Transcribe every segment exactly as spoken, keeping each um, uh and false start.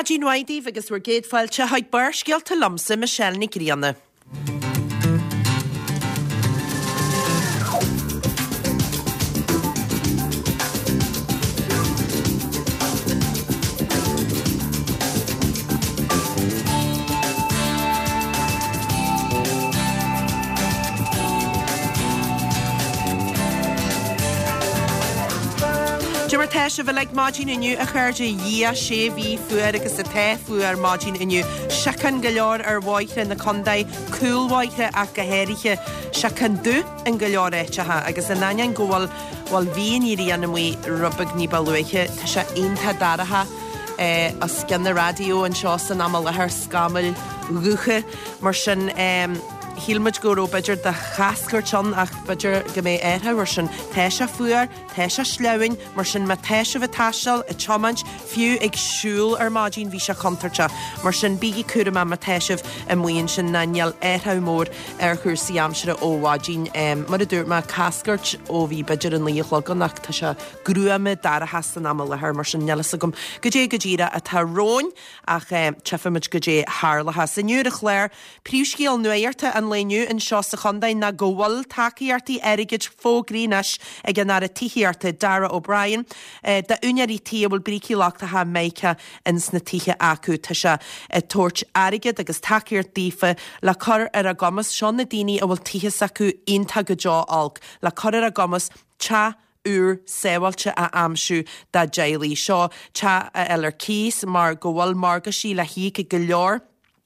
Maidin mhaith daoibh agus bhur gcéad fáilte chuig Barrscéalta liomsa Michelle Ní Ghrianna. Cad é mar tá sibh uilig maidin inniu a chairde Dhia sé bhí fuar agus atá fuar maidin inniu. Síocán go leor ar bhóithre na contae, cúlbhóithre ach go háirithe. Síocán dubh in go leor áiteacha agus in ainneoin go bhfuil bhuel bhí an ghrian amuigh rud beag ní ba luaithe, tá sé iontach dorcha eh, os cionn na raidió anseo san am i láthair scamaill dhubha mar sin eh, Shíl muid go raibh b'fhéidir de chascairt ann ach b'fhéidir go mbeidh athrú ar sin. Tá sé fuar, tá sé sleamhain, mar sin má tá sibh ag taisteal, ag tiomáint, fiú ag siúl ar maidin bhí sé contúirteach. Mar sin bígí cúramach má tá sibh amuigh ansin ná níl athrú mór ar chúrsaí aimsire ó mhaidin. Mar a dúirt mé cascairt ó bhí b'fhéidir a naoi a chlog ann ach tá sé gruama dorcha san am i láthair mar sin níl a fhios agam goidé go díreach atá romhainn ach tchífimid goidé tharlóchas. Inniu ar an chlár, príomhscéal nuachta an lae inniu anseo sa chontae ná go bhfuil tacaíochtaí airgid fógraithe anois ag an Aire Tithíochta Darragh O'Brien d'úinéirí tí a bhfuil brící lochtacha mica ins na tithe acu. Tá sé ag tabhairt airgead agus tacaíocht daofa le cur ar a gcumas seo na daoine a bhfuil tithe s'acu iontach go deo olc le cur ar a gcumas teach úr sábháilte a aimsiú dá dteaghlaigh. Seo teach a fháil ar cíos mar go bhfuil morgáistí le híoc ag go leor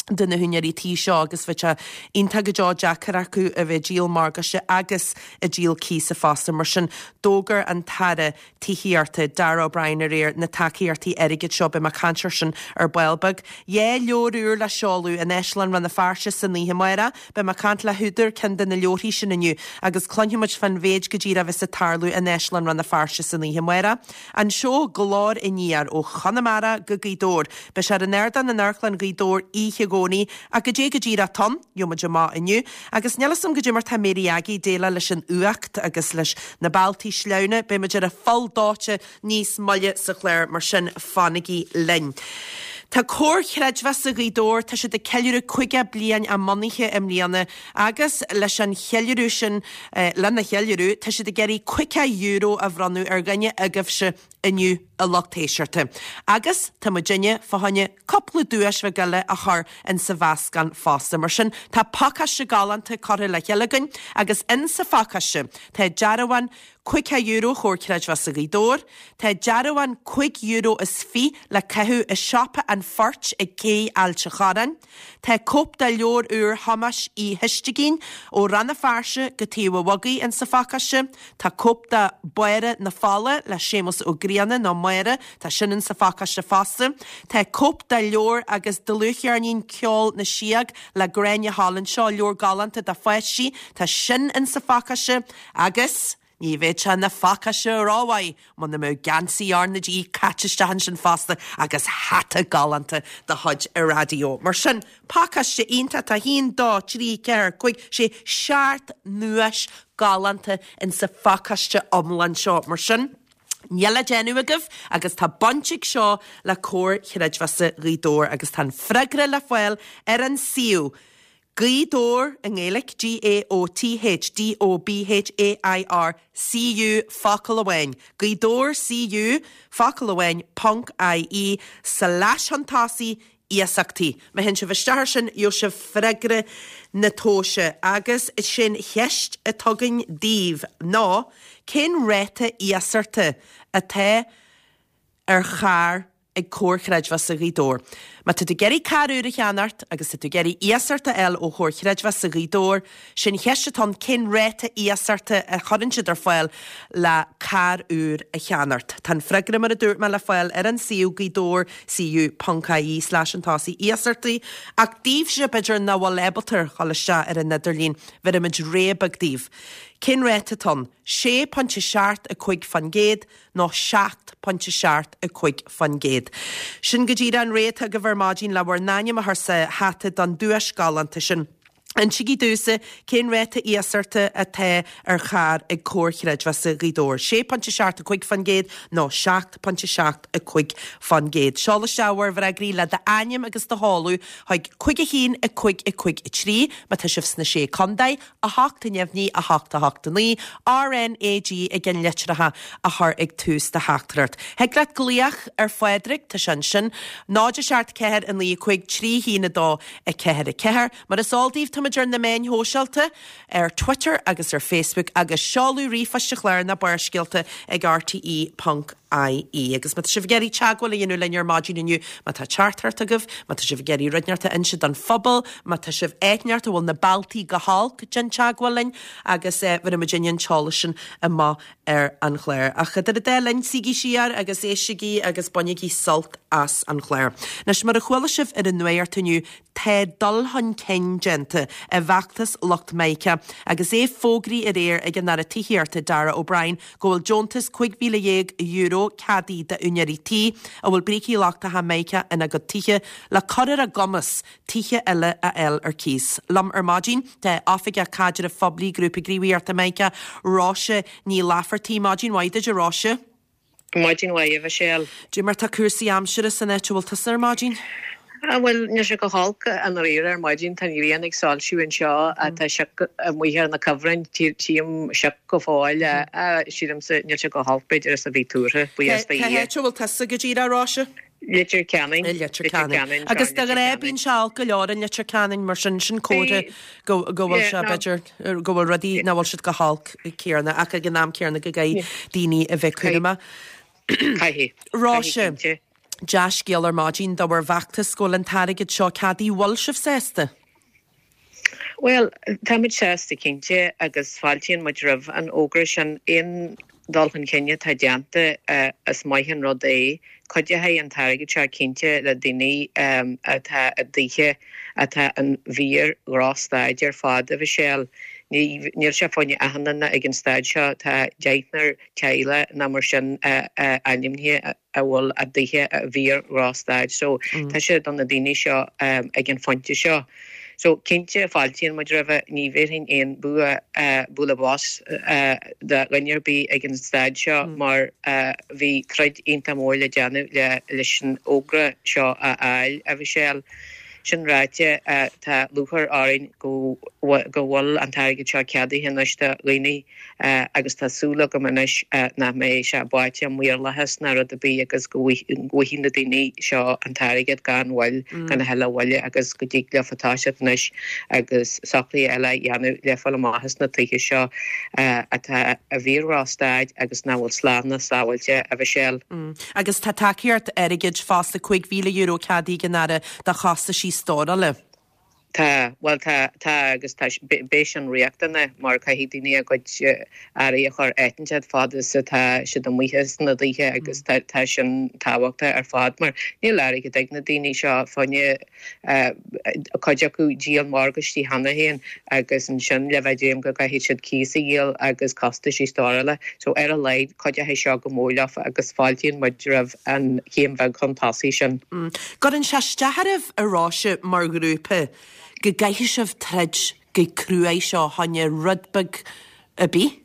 de na húinéirí tí seo agus bheadh sé iontach go deo deacair acu a bheith ag díol morgáiste agus ag díol cíosa fosta. Mar sin d'fhógair an tAire Tithíochta Darragh O'Brien aréir na tacaíochtaí airgid seo beidh mé ag caint air sin ar ball beag. Dhá leabhar úr le seoladh in Áislann Rann na Feirste san oíche amárach, beidh mé ag caint le húdar ceann de na leabharthaí sin inniu agus cluinfidh muid fán mhéid go díreach a bheas ag tarlú in Áislann Rann na Feirste san oíche amárach. An seó Glór Aniar ó Chonamara go Gaoth Dobhair. Beidh sé ar an ardán in Amharclann Ghaoth Dobhair oíche Dhomhnaigh ach goidé go díreach atá ann, gheobhaidh muid amach inniu. Agus níl a fhios agam goidé mar tá Mary Aggie ag déileáil leis an fhuacht agus leis na bealtaí sleamhna, beidh muid ar a pholl dóite níos moille sa chlár, mar sin fanaigí linn. Tá Comhar Creidmheasa Ghaoth Dobhair, tá siad ag ceiliúradh caoga bliain a mbunaithe i mbliana agus leis an cheiliúradh sin, lena cheiliúradh, tá siad ag iarraidh caoga euro a bhronnadh ar dhuine agaibhse inniu a lucht éisteachta. Agus tá muidinne fá choinne cúpla duais bheag eile a chur insa mheascán fosta. Mar sin, tá pacáiste galánta curtha le chéile againn agus insa phacáiste tá dearbhán caoga euro Chomhar Creidmheasa Ghaoth Dobhair, tá dearbhán cúig euro is fiche le caitheamh i siopa an Phoirt ag Cé Ailt a' Chorráin, tá cóip de leabhar úr Thomáis Uí Oistigín ó Rann na Feirste go Taobh an Bhogaigh insa phacáiste, tá cóip de Báire na Fola le Séamus Ó Grianna nó Máire, tá sin insa phacáiste fosta, tá cóip de leabhar agus dlúthcheirnín Ceol na Síog le Gráinne Holland, seo leabhar galánta do pháistí, tá sin insa phacáiste agus. Ní bheadh sé ina phacáiste rómhaith muna mbeadh geansaí R na G caite isteach ansin fosta agus hata galánta de chuid an raidió. Mar sin, pacáiste iontach, tá a haon, dó, trí, ceathair, cúig, sé, seacht nduais galánta insa phacáiste iomlán seo. Mar sin, níl le déanamh agaibh agus tá baint ag seo le Comhar Chreidmheasa Ghaoth Dobhair agus tá an freagra le fáil ar an suíomh Gaoth Dobhair i nGaeilge, G A O T H D O B H A I R C U focal amháin, Gaoth Dobhair C U focal amháin ponc I E slash chun tosaigh iasachtaí. Má théann sibh isteach air sin gheobhaidh sibh freagra na tomhaise agus is é an cheist atá againn daoibh ná cén ráta iasachta atá ar charr ag Comhar Chreidmheasa Ghaoth Dobhair. Má tá tú ag iarraidh carr úr a cheannacht agus tá tú ag iarraidh iasacht a fháil ó Chomhar Chreidmheasa Ghaoth Dobhair, sin cheist atá ann cén ráta iasachta a chuireann siad ar fáil le carr úr a cheannacht. Tá an freagra mar a dúirt mé le fáil ar an suíomh Gaoth Dobhair C U ponc I E slash chun tosaigh iasachtaí ach daoibhse b'fhéidir nach bhfuil ábalta dhul isteach ar an idirlíon, bhéarfaimid rogha beag daoibh. Cén ráta atá ann? Sé pointe seacht a cúig faoin gcéad nó seacht pointe seacht a cúig faoin gcéad. Sin go díreach an rogha atá agaibh ar maidin le bhur n-ainm a chur sa hata don duais galánta sin. Insígí domhsa cén ráta iasachta atá ar charr ag Comhar Chreidmheasa Ghaoth Dobhair. sé pointe seacht a cúig faoin gcéad nó seacht pointe seacht a cúig faoin gcéad. Seol isteach bhur bhfreagraí le d'ainm agus do sheoladh chuig cúig a haon a cúig a cúig a trí má tá sibh sna sé contae, a hocht a neamhní a hocht a hocht a naoi, RNAG i gceannlitreacha a chur ag tús do theachtaireacht. Thig leat glaoch ar Phádraig, tá sé ansin, náid a seacht ceathair a naoi a cúig trí haon a dó a ceathair a ceathair. Mar is eol daoibh táimid ar na meáin shóisialta, ar Twitter agus ar Facebook agus seoladh ríomhphoist an chláir ná Barrscéalta ag rte ponc ie. Agus má tá sibh ag iarraidh teagmháil a dhéanamh linn ar maidin inniu, má tá teachtaireacht agaibh, má tá sibh ag iarraidh rud inteacht a inse don phobal, má tá sibh áit inteacht a bhfuil na bealtaí go holc, déan teagmháil linn agus eh, bheir muid an t-eolas sin amach ar an chlár. Ach idir an dá linn suígí siar agus éistigí agus bainigí sult as an chlár. Anois mar a chuala sibh ar an nuacht inniu, tá dul chun cinn déanta i bhfeachtas lucht Mica agus é fógraithe aréir ag an Aire Tithíochta Darragh O'Brien go bhfuil deontas cúig mhíle dhéag euro ceadaithe d'úinéirí tí a bhfuil brící lochtacha Mica ina gcuid tithe le cur ar a gcumas tithe eile a fháil ar cíos. Liom ar maidin tá Oifigeach Caidrimh Phoiblí Grúpa Gníomhaíochta Mica Róise Ní Laifeartaigh maidin mhaith duit a Róise. Maidin mhaith a Mhichelle. Cad é mar tá cúrsaí aimsire san áit a bhfuil tusa ar maidin? Ah, bhuel níl sé go holc i ndáiríre ar maidin tá an ghrian ag soilsiú anseo tá sioc amuigh ar na cuibhrinn tchím sioc go fóill sílimse níl sé go holc b'fhéidir is a bhí tuartha buíochas do Cá Dhia. háit a bhfuil tusa go díreach Róise? Leitir Ceanainn. Leitir Ceanainn. Agus de ghnáth bíonn sé olc go leor in Leitir Ceanainn mar sin sin comhartha go go bhfuil sé b'fhéidir go bhfuil rudaí nach bhfuil siad go holc céanna ach ag an am céanna go gcaithfidh daoine a bheith cúramach. Caithfidh. Róise. Dea-scéal ar maidin do bhur bhfeachtas go bhfuil an t-airgead seo ceadaithe bhfuil sibh sásta. Well, táimid sásta cinnte agus fáiltíonn muid roimh an fhógra sin aon dul chun cinn atá déanta uh, is maith an rud é. Cuideoidh an t-airgead seo cinnte le daoine um, atá i dtithe atá in fíor-dhrochstaid ar fad a Mhichelle. Níl sé fá choinne achan duine ag an staid seo tá deichniúr teaghlach nó mar sin uh, uh, ainmnithe a bhfuil a dtithe i bhfíor-dhrochstaid, so mm. tá sé do na daoine seo um, ag an phointe seo. So cinnte fáiltíonn muid roimhe ní bhéarfainn aon bua uh, bualadh bos uh, do dhuine ar bith ag an staid seo mm. mar uh, bhí troid iontach mór le déanamh le leis an fhógra seo a fháil a Mhichelle. Sin ráite uh, tá lúcháir orainn go go bhfuil an t-airgead seo ceadaithe anois do dhaoine uh, agus tá súil agam anois uh, nach mbeidh sé báite i maorlathas ná rud ar bith agus go bhfaighidh na daoine seo an t-airgead gan mhoill mm. gan a thuilleadh moille agus go dtig leo toiseacht anois agus socruithe eile a dhéanamh le fáil amach as na tithe seo uh, atá i bhfíor-dhrochstaid agus nach bhfuil slán ná sábháilte a Mhichelle. Mm. Agus tá tacaíocht airgid fosta cúig mhíle euro ceadaithe ag an Aire do chostaisí stórála. Tá well tá tá agus tá beidh sin riachtanach mar caithfidh daoine a gcuid earraí a chur áit inteacht fad is atá siad amuigh sna tithe agus tá tá sin tábhachtach ar fad mar níl airgead ag na daoine seo fá choinne cuid acu díol morgáistí cheana féin agus ansin le bheith déanamh go gcaithfidh siad cíos a dhíol agus costaisí stórála so ar a laghad cuideoidh seo go mór leo agus fáiltíonn muid roimh an chéim bheag chun tosaigh sin. Mm. Cuireann sé isteach oraibh a Róise mar ghrúpa go gcaithfidh sibh troid go cruaidh seo fá choinne rud beag ar bith?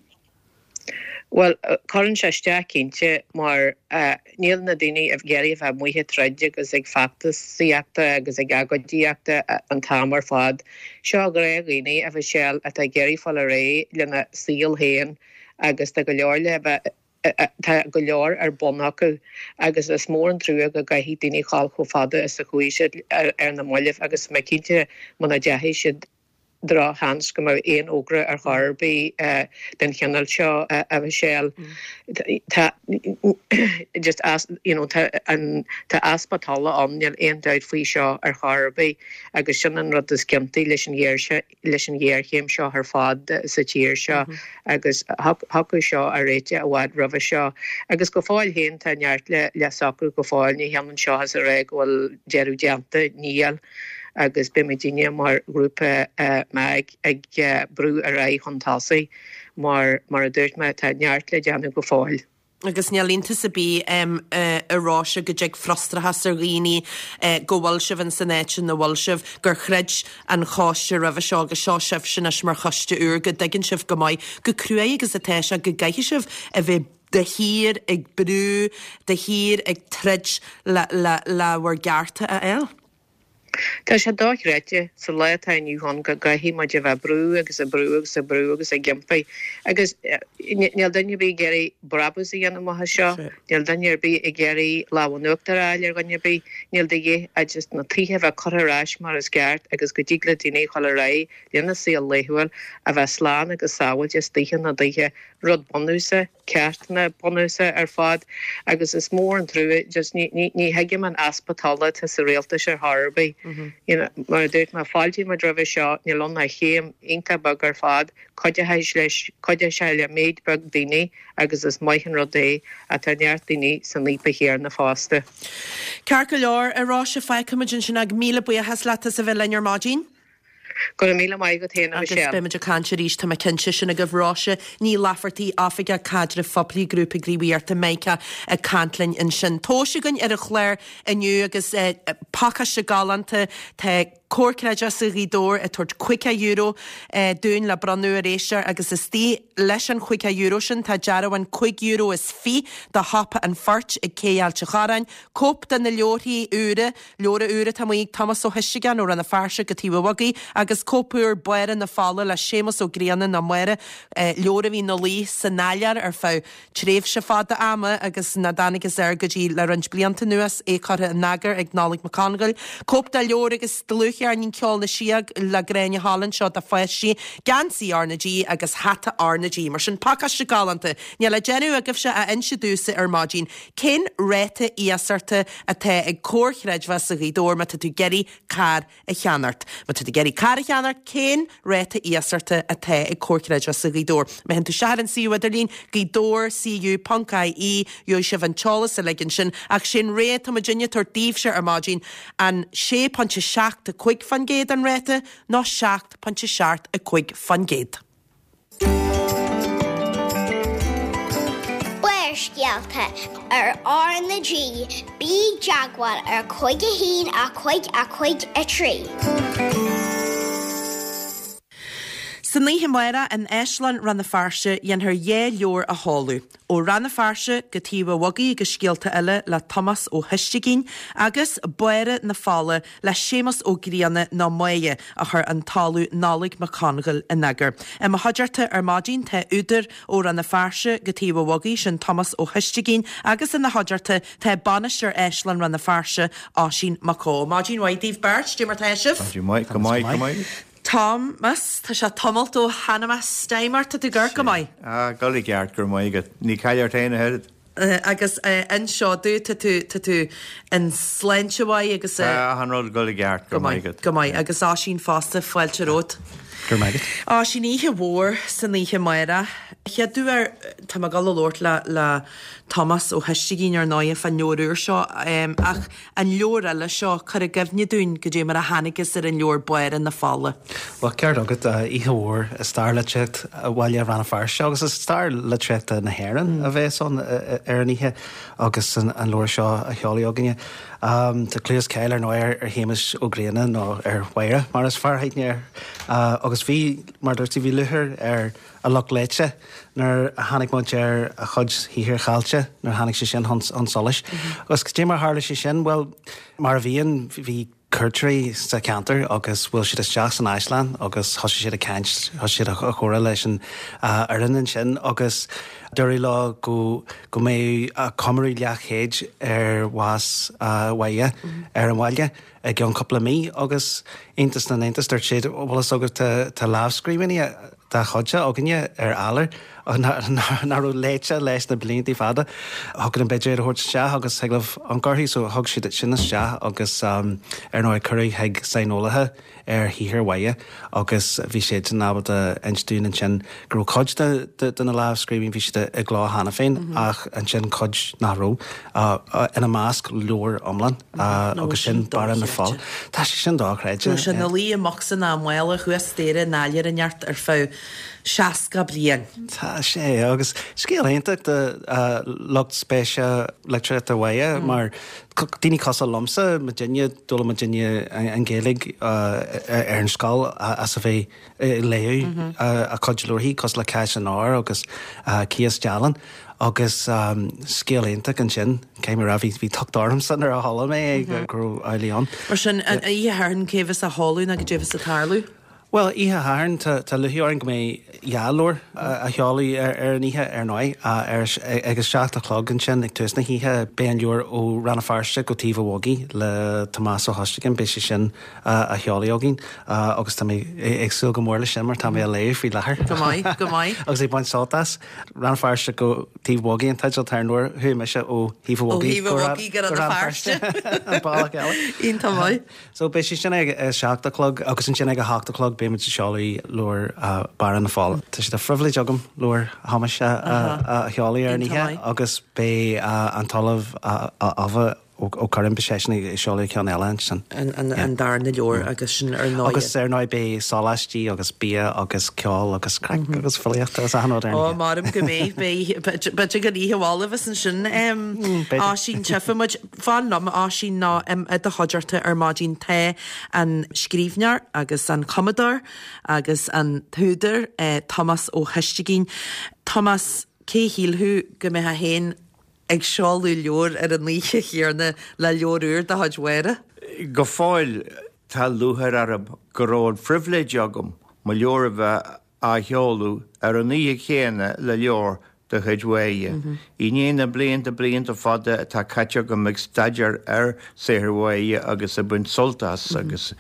Well cuireann sé isteach cinnte mar uh, níl na daoine ag iarraidh bheith amuigh ag troid agus ag feachtasaíochta agus ag agóidíochta an t-am ar fad. Seo gnáthdhaoine a Mhichelle atá ag iarraidh fáil ar aghaidh lena saol féin agus tá go leor le bheith tá go leor ar bun acu agus is mór an trua go gcaithfidh daoine dul chomh fada is a chuaigh siad ar, ar na mallaibh agus mé cinnte muna ndeachaigh siad drochsheans go mbeadh aon fhógra ar chor ar bith uh, den chineál seo uh, a Mhichelle. Tá just as you know tá an tá easpa tola ann níl aon dabht faoi seo ar chor ar bith agus sin an rud is ciontaí leis an ghéar leis an ghéarchéim seo ar fad sa tír seo mm -hmm. agus thiocfadh seo a réiteach i bhfad roimhe seo agus go fóill féin tá neart le le socrú go fóill ní hionann seo is a rá go bhfuil deireadh déanta níl agus beimidne mar ghrúpa uh, MAG ag uh, brú ar aghaidh chun tosaigh mar mar a dúirt mé tá neart le déanamh go fóill. Agus níl iontas ar bith a Róise go dtig frustrachas ar dhaoine go bhfuil sibh in san áit ina bhfuil sibh, gur chreid an choiste roimhe seo agus seo sibhse anois mar choiste úr, go dtuigeann sibh go maith chomh cruaidh agus atá sé go gcaithfidh sibh a bheith de shíor ag brú, de shíor ag troid le le le bhur gcearta a fháil. Tá sé dochreidte sa lá atá inniu ann go gcaithfidh muid a bheith ag brú agus ag brú agus ag brú agus ag iompar agus níl duine ar bith ag iarraidh brabús a dhéanamh amach as seo, níl duine ar bith ag iarraidh lámh in uachtar a fháil ar dhuine ar bith, níl de dhíth ach just na tithe a bheith curtha ar ais mar is ceart agus go dtig le daoine a dhul ar aghaidh lena saol laethúil a bheith slán agus sábháilte istoíche na dtithe, rud bunúsach. ceartanna bunúsacha ar fad agus is mór an trua just ní ní ní thuigim an easpa tola atá sa rialtas ar chor ar bith. You know, mar a dúirt mé fáiltíonn muid roimhe seo, níl ann ach céim iontach beag ar fad, cuideoidh leis cuideoidh sé le méid beag daoine agus is maith an rud é ach tá neart daoine san fhaopach chéanna fosta. Ceart go leor, a Róise, fágfaimid ansin ag míle buíochas leat as a bheith linn ar maidin. Go raibh míle maith agat féin, a Agus Michelle. beidh muid ag caint arís, tá mé cinnte, sin agaibh Róise Ní Laifeartaigh, Oifigeach Caidrimh Phoiblí Grúpa Gníomhaíochta Mica ag caint linn ansin. Tomhais againn ar an chlár inniu agus pacáiste galánta, tá Comhar Creidmheasa Ghaoth Dobhair ag tabhairt caoga euro dúinn le bronnadh ar éisteoir agus istigh leis an chaoga euro sin tá dearbhán cúig euro is fiche do Shiopa an Phoirt ag Cé Ailt a' Chorráin, cóip de na leabharthaí úra, Leabhar úr atá amuigh ag Tomás Ó hUisdeagáin ó Rann na Feirste go Taobh an Bhogaigh agus cóip úr Báire na Fola le Séamus Ó Grianna nó Máire, leabhar a bhí ina luí san áiléar ar feadh tréimhse fada ama agus nach dtángthas air go dtí le roinnt blianta anuas, é curtha in eagar ag Nollaig Mac Congail. Cóip de leabhar agus dlúthcheirnín Ceol na Síóg le Gráinne Holland seo do pháistí, geansaí R na G agus hata R na G. Mar sin, pacáiste galánta. Níl le déanamh agaibhse ach inse domhsa ar maidin cén ráta iasachta atá ag Comhar Creidmheasa Ghaoth Dobhair má tá tú ag iarraidh carr a cheannacht. Má tá tú ag iarraidh carr a cheannacht, cén ráta iasachta atá ag Comhar Creidmheasa Ghaoth Dobhair? Má théann tú isteach ar an suíomh idirlín, gaothdobair cu ponc ie, gheobhaidh sibh an t-eolas uilig ansin. Ach sé'n rogha atá muidinne ag tabhairt daoibhse ar maidin, an sé pointe seacht a cúig faoin gcéad an ráta nó seacht pointe seacht a cúig faoin gcéad? Barrscéalta ar R na G, bí i dteagmháil ar cúig a haon a cúig a cúig a trí. San oíche amárach in Áislann Rann na Feirste dhéanfar dhá leabhar a sheoladh, Ó Rann na Feirste go Taobh an Bhogaigh agus Scéalta Eile le Tomás Ó hUisdeagain agus Báire na Fola le Séamus Ó Grianna nó Máighe a chuir an tOllamh Nollaig Mac Congail in eagar. I mo chuideachta ar maidin tá údar Ó Rann na Feirste go Taobh an Bhogaigh, sin Tomás Ó hUisdeagain, agus ina chuideachta tá bainisteoir Áislann Rann na Feirste, Oisín Mac Eó. Maidin mhaith daoibh beirt, dé mar tá sibh? Maidin mhaith, go maith, go maith. Tomás, tá sé tamalt ó tháinig mé staighim ort, tá tú ag amharc go maith. Ah, dul i gceart, go raibh maith agat. Ní caill ort féin a oiread. Agus inis domh, tá tú, tá tú in sláinte mhaith agus. Tá achan rud ag dul i gceart, go raibh maith agat. Go maith, agus Oisín fosta, fáilte romhat. Go raibh maith agat. Oisín, oíche mhór san oíche amárach. Chéad uair, tá mé ag dul a labhairt le, le Tomás Ó hUisdeagain ar ndóighe fán leabhar úr seo, ach an leabhar eile seo, cuir i gcuimhne dúinn goidé mar a thángthas ar an leabhar Báire na Fola. Bhuel, ceart agat, oíche mhór i stair litríocht bhaile Rann na Feirste agus i stair litríochta na hÉireann a bheas ann ar an oíche agus an leabhar seo á sheoladh againne. Tá clú is cáil ar ndóigh ar Shéamus Ó Grianna nó ar Mháire mar is fearr aithne air agus bhí, mar a dúirt tú, bhí lúcháir ar a lucht léite nuair a tháinig muid ar a chuid shaothair chaillte, nuair a tháinig sé sin chun solais. Agus cad é mar a tharla sé sin? Bhuel, mar a bhíonn, bhí cuairteoirí sa cheantar agus bhuail siad isteach san áislann agus thosaigh siad ag caint, thosaigh siad ag comhrá leis an fhoireann ansin agus dúradh leo go go mbeadh comóradh leathchéid ar bhás Mháire ar an bhaile i gceann cúpla mí agus iontas na n-iontas dúirt siad, bhfuil fhios agat tá lámhscríbhinní dá chuidse againne ar áiléar nach raibh léite leis na blianta fada. Thiocfadh linn b'fhéidir iad a thabhairt isteach agus thig libh amharc orthu. So thug siad sin isteach agus ar ndóigh cuireadh chuig saineolaithe ar shaothar Mháire agus bhí siadsan ábalta inse dúinn ansin go raibh cuid de na lámhscríbhinní, bhí siad foilsithe i gcló cheana féin ach ansin cuid nach raibh, ina measc leabhar iomlán agus sin Barra na Fola. Tá sé sin dochreidte. Tá sé ina luí i mbocsa ná i mála thuas staighre in áiléar inteacht ar feadh seasca bliain. Tá sé, agus scéal iontach do lucht spéise litríochta Mhaighe mar daoine cosúil liomsa, muidinne, d'fhoghlaim muidinne an Ghaeilge ar an scoil as a bheith ag léamh a cuid leabharthaí cosúil le Cás an Óir agus Cíos Dealgan agus scéal iontach ansin, caithfidh mé a rá, bhí tocht ormsa nuair a chuala mé é go raibh amhlaidh ann. Mar sin, an oíche Shathairn cé bheas á sheoladh nó goidé bheas ag tarlú? Bhuel, oíche Shathairn, tá lúcháir orainn go mbeidh dhá leabhar á sheoladh ar an oíche, ar ndóigh. Ag a seacht a chlog ansin, ag tús na hoíche, beidh an leabhar Ó Rann na Feirste go Taobh an Bhogaigh le Tomás Ó hOistigín, beidh sé sin á sheoladh againn agus tá mé ag súil go mór leis sin mar tá mé á léamh faoi láthair. Go maith, go maith. Agus ag baint sult as. Rann na Feirste go Taobh an Bhogaigh an teideal atá ar an leabhar, chuaigh mise ó Thaobh an Bhogaigh go Rann na Feirste. An bealach eile. Iontach maith. So beidh sé sin ag a seacht a chlog agus ansin ag a hocht a chlog beidh muid ag seoladh leabhar Barra na Fola. Tá sé de phribhléid agam leabhar Thomáis a sheoladh ar an oíche agus beidh an tOllamh Abha Ó Curráin, beidh seisean ag seoladh ceann eile ansin. An darna leabhar agus sin ar ndóigh. Agus ar ndóigh beidh sóláistí agus bia agus ceol agus craic agus filíocht agus achan rud ar an oíche. Ó, maram go mbeidh, beidh, b'fhéidir gur oíche mhall a bheas ansin. Oisín, tchífidh muid. Fan liom, a Oisín, nó i do chuideachta ar maidin tá an scríbhneoir agus an cumadóir agus an t-údar, Tomás Ó hOistigín. Tomás, cé a shílfeadh go mbeifeá féin ag seoladh leabhair ar an oíche chéanna le leabhar úr de chuid Mháire? Go fóill tá lúcháir orm go raibh an phribhléid agam mo leabhar a bheith á sheoladh ar an oíche chéanna le leabhar de chuid Mháire. I ndiaidh na blianta, blianta fada atá caite agam ag staidéar ar saothar Mháire agus ag baint sult as agus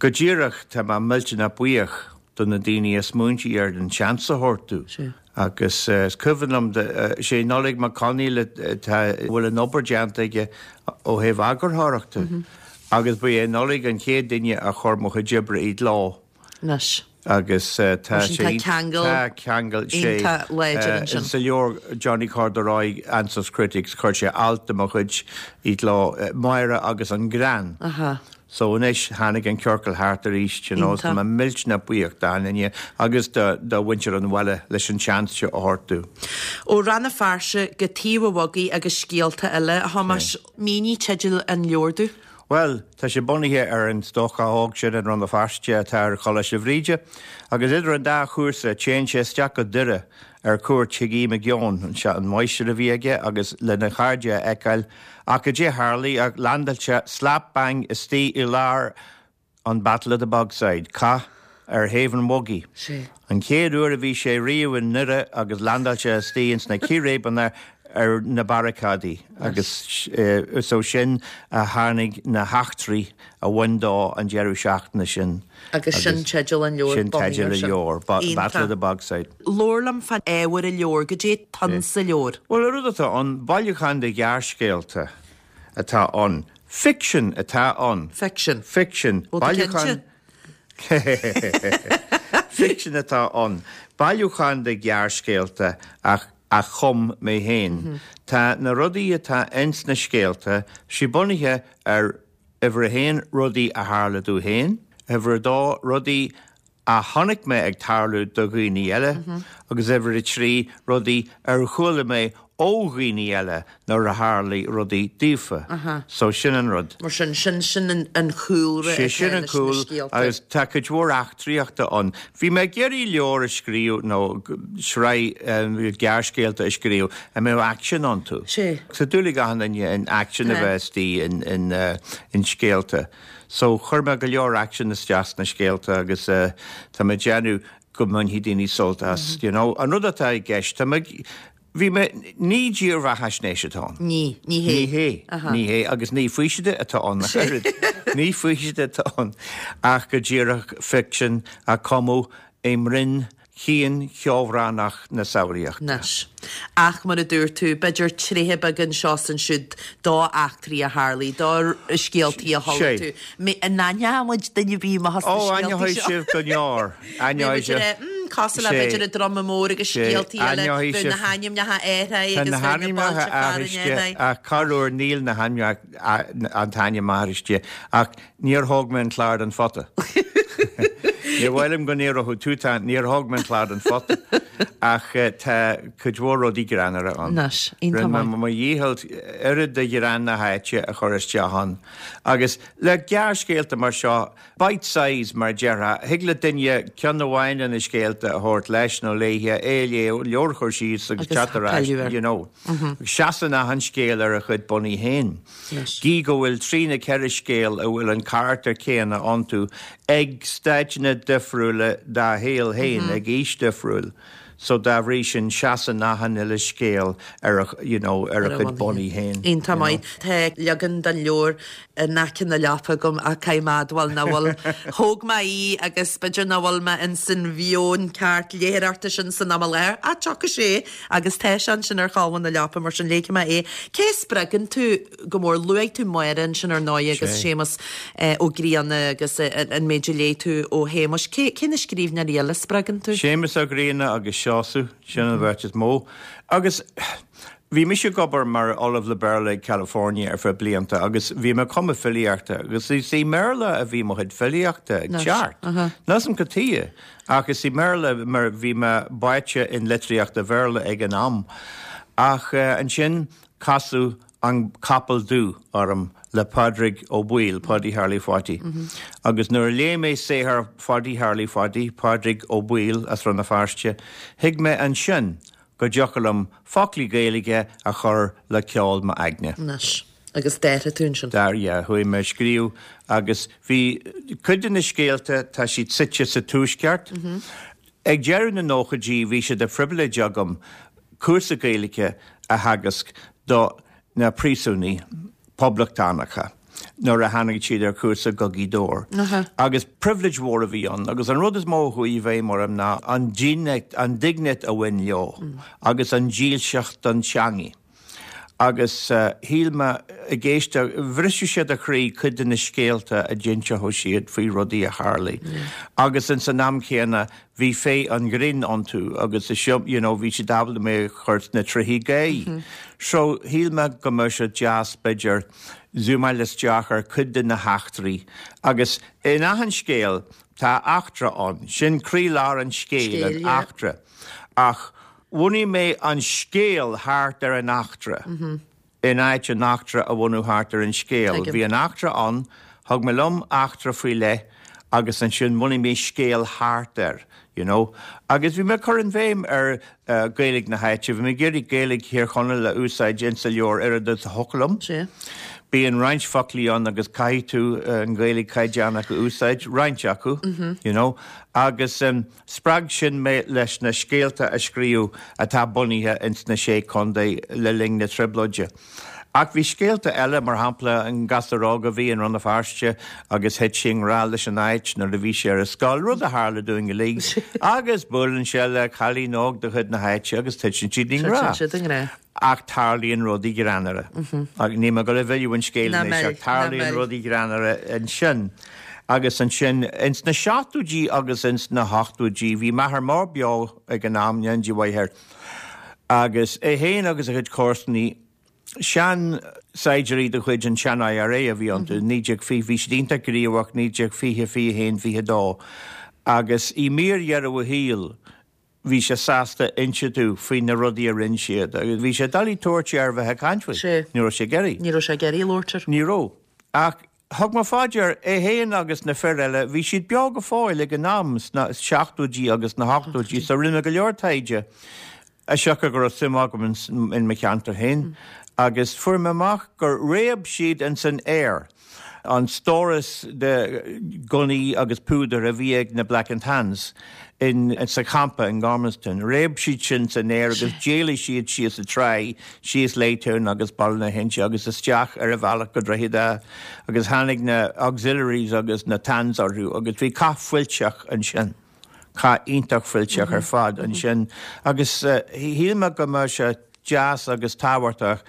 go díreach tá mé millteanach buíoch do na daoine a smaointigh ar an seans a thabhairt domh. Agus is cuimhin liom, sé Nollaig Mac Conaill atá, a bhfuil an obair déanta aige ó thaobh eagarthóireachta agus ba é Nollaig an chéad duine a chuir mo chuid oibre i gcló. Anois. Agus tá sé, tá ceangal, tá ceangal, sé, iontach láidir ansin. Sa leabhar Johnny Corduroy, Answers Critics, chuir sé alt de mo chuid i gcló, Máire agus an Greann. Aha. So anois tháinig an ciorcal thart arís, you know, tá mé millteanach buíoch d'achan duine agus do do mhuintir an bhaile leis an seans seo a thabhairt domh. Ó Rann na Feirste go Taobh an Bhogaigh agus scéalta eile, a Thomáis, mínigh teideal an leabhair domh. Bhuel, tá sé bunaithe ar an stócach óg sin in Rann na Feirste atá ar Choláiste Bhríde, agus idir an dá chúrsa téann sé isteach go Doire ar cuairt chuig Aodh Mac Eoin, an máistir a bhí aige, agus lena chairde a fheiceáil, ach goidé a tharlaigh ach landáil sé slap bang istigh i lár an Battle of the Bogside, cath ar thaobh an bhogaigh. An chéad uair a bhí sé riamh i nDoire agus landáil sé istigh ins na círéibeanna ar na barricáidí agus is ó sin a tháinig na heachtraí a bhain dó an deireadh seachtaine sin. Agus sin teideal an leabhair, Sin teideal an leabhair, Battle of the Bogside. Labhair liom fán ábhar an leabhair, goidé atá sa leabhar. Bhuel, an rud atá ann, bailiúchán de ghearrscéalta atá ann. Ficsean atá ann. Ficsean. Ficsean. Ó, tá cinnte. Ficsean atá ann. Bailiúchán de ghearrscéalta ach a chum mé féin. Tá na rudaí atá ins na scéalta, sé bunaithe ar, uimhir a haon, rudaí a tharla domh féin, uimhir a dó, rudaí a chonaic mé ag tarlú do dhaoine eile, agus uimhir a trí, rudaí ar chuala mé ó dhaoine eile nuair a tharlaigh rudaí daofa. So sin an rud. Mar sin, sin, sin an chúlra atá leis na scéalta. Agus tá cuid mhór eachtraíochta ann. Bhí mé ag iarraidh leabhar a scríobh nó sraith gearrscéalta a scríobh a mbeadh aicsean iontu. Sea. Tá dúil ag achan duine in aicsean a bheith istigh in, in, in scéalta. So chuir mé go leor aicsean isteach sna scéalta agus tá mé ag déanamh go mbainfidh daoine sult as, you know. An rud atá i gceist, tá mé ag, Bhí mé, ní dírbheathaisnéis atá ann. Ní, ní hé. Ní hé, ní hé, agus ní faoiside atá ann ach oiread. Ní faoiside atá ann ach go díreach ficsean a cumadh i mbroinn chian cheobhránach na samhlaíochta. Anois. Ach mar a dúirt tú, b'fhéidir tréithe beaga anseo is ansiúd d'eachtraí a tharlaigh, do scéaltaí a chuala tú. An aithneoidh muid duine ar bith amach as na Ó, scéaltaí aithneoidh seo? sibh go leor. Aithneoidh sibh. Mm, sin cosúil le b'fhéidir an Druma Mór agus scéaltaí eile, bheadh na hainmneacha athraithe agus bheadh na bailte fearainn athraithe. Ach corruair níl na hainmneacha, an t-ainm aithriste, ach níor thóg mé an clár den phota. Níor mhaith liom go ndéarfadh tú tá, níor thóg mé an clár den phota. Ach tá cuid mhór rudaí greannmhara ann. Anois, iontach Rinne mé maith. mo dhícheall oiread de ghreann na háite a chur isteach ann. Agus le gearrscéalta mar seo, bite size mar a déarfá, thig le duine ceann amháin de na scéalta a thabhairt leis nó léi, é a léamh, leabhar a chur síos agus Agus teacht ar ais, pilleadh air. you know. Seasann achan scéal ar a chuid bonnaí féin. Anois. Gí go bhfuil trí nó ceithre scéal a bhfuil an carachtar céanna iontu ag staideanna difriúla dá shaol féin, ag aois difriúil. So dá bhrí sin seasann achan uile scéal ar a, you know, ar a Ar a chuid bhonnaí bonnaí féin. Iontach maith. Tá leagan den leabhar in aice na leapa agam ach caithfidh mé a admháil nach bhfuil. Thóg mé í agus b'fhéidir nach bhfuil mé in san mheon ceart léitheoireachta sin san am i láthair. Ach tiocfaidh sé agus tá sé ansin ar cholbha na leapa mar sin léifidh mé é. Cé a spreagann tú go mór? Luaigh tú Máire ansin ar ndóigh agus Sé. Séamus eh, Ó Grianna agus eh, an méid a léigh tú ó Shéamus. Cé, cé na scríbhneoirí eile a spreagann tú? Séamus Ó Grianna agus Seosamh, sin an bheirt is mó. Agus bhí mise ag obair mar ollamh le Béarla ag California ar feadh blianta agus bhí mé ag cumadh filíochta agus is i mBéarla a bhí mo chuid filíochta ag Anois, teacht. aha. Níl a fhios agam cad chuige ach is i mBéarla mar bhí mé báite in litríocht an Bhéarla ag an am. Ach uh, ansin casadh an Capall Dubh orm le Pádraig Ó Baoill, Páidí Tharlaí Pháidí. Agus nuair a léigh mé saothar Pháidí Tharlaí Pháidí, Pádraig Ó Baoill as Rann na Feirste, thuig mé ansin go dtiocfadh liom foclaí Gaeilge a chur le ceol m'aigne. Anois. Agus d'athraigh tú ansin. Dar yeah, chuaigh mé ag scríobh agus bhí cuid de na scéalta tá siad suite sa tuaisceart. Ag deireadh na nóchaidí bhí sé de phribhléid agam cúrsa Gaeilge a theagasc do na príosúnaigh poblachtánacha nuair a tháinig siad ar cúrsa go Gaoth Dobhair. Aha. Agus pribhléid mhór a bhí ann, agus an rud is mó a chuaigh i bhfeidhm orm ná an dínit an dínit a bhain leo, agus an dílseacht don teanga. Agus uh, shíl mé ag éisteacht bhriseadh sé do chroí cuid de na scéalta a d'inseodh siad faoi rudaí a tharla. Agus in san am céanna bhí féith an ghrinn iontu agus is seo you know, bhí siad ábalta mé chur na trithí gé. Mm -hmm. So shíl mé go mbeadh sé deas b'fhéidir zoomáil isteach ar cuid de na heachtraí. Agus in achan scéal tá eachtra ann, sin croílár an scéil Scéil, an yeah. eachtra. Ach bhunaigh mé an scéal thart ar an eachtra. Mm -hmm. In áit an eachtra a bhunú thart ar an scéal. Tuigim. Bhí an eachtra ann, thug mé liom eachtra faoi leith agus ansin bhunaigh mé scéal thart air. You know? Agus bhí mé chur an bhéim ar uh, Gaeilge na háite, bhí mé ag iarraidh Gaeilge Thír Chonaill a úsáid insa leabhar oiread is a thiocfadh liom. Sé. Bíonn roinnt foclaí ann agus caithfidh tú uh, an Ghaeilge caighdeánach a úsáid roinnt acu, mm -hmm. you know? agus um, spreag sin mé leis na scéalta a scríobh atá bunaithe ins na sé chontae le linn na trioblóide. Ach bhí scéalta eile mar shampla an gasúr óg a bhí in Rann na Feirste agus thit sé i ngrá leis an áit nuair a bhí sé ar a scoil rud a tharla dúinn uilig, agus buaileann sé le cailín óg de chuid na háite agus titeann siad i ngrá. Titeann siad i ngrá. Ach tarlaíonn rudaí greannmhara. Ach ní ma go le bhfuil an scéal Ná anois, mil, ach tarlaíonn ná mil. rudaí greannmhara ansin. Agus ansin ins na seachtóidí agus ins na hochtóidí bhí m'athair mór beo ag an am Neidí Mhaithair. Agus é féin agus a chuid comharsanaí sean saighdiúirí de chuid an sean IRA a bhí iontu naoi déag fiche bhí siad iontach gníomhach naoi déag fiche fiche haon fiche dó. Agus i mír dheireadh a shaoil bhí sé sásta inse domh faoi na rudaí a rinne siad, agus bhí sé doiligh tabhairt air bheith ag caint faoi. Sé. Ní raibh sé ag iarraidh. Ní raibh sé ag iarraidh labhairt air. Ní raibh. Ach thug mé faoi deara é féin agus na fir eile, bhí siad beo go fóill ag an am sna seachtóidí agus na hochtóidí, so rinne go leor taighde a siocair go raibh suim agam in, in mo cheantar féin. Agus fuair mé amach gur réab siad in san aer an stóras de gunnaí agus púdar a bhí ag na Black and Tans in, in sa champa in Gormanston. Réab siad sin san aer agus d'éalaigh siad síos an trá, síos Laytown agus Baile na hInse agus isteach ar a bhealach go Droichead Átha agus tháinig na auxiliaries agus na Tans orthu agus bhí cath fuilteach ansin. Cath iontach fuilteach ar fad ansin agus uh, shíl mé go mbeadh sé deas agus tábhachtach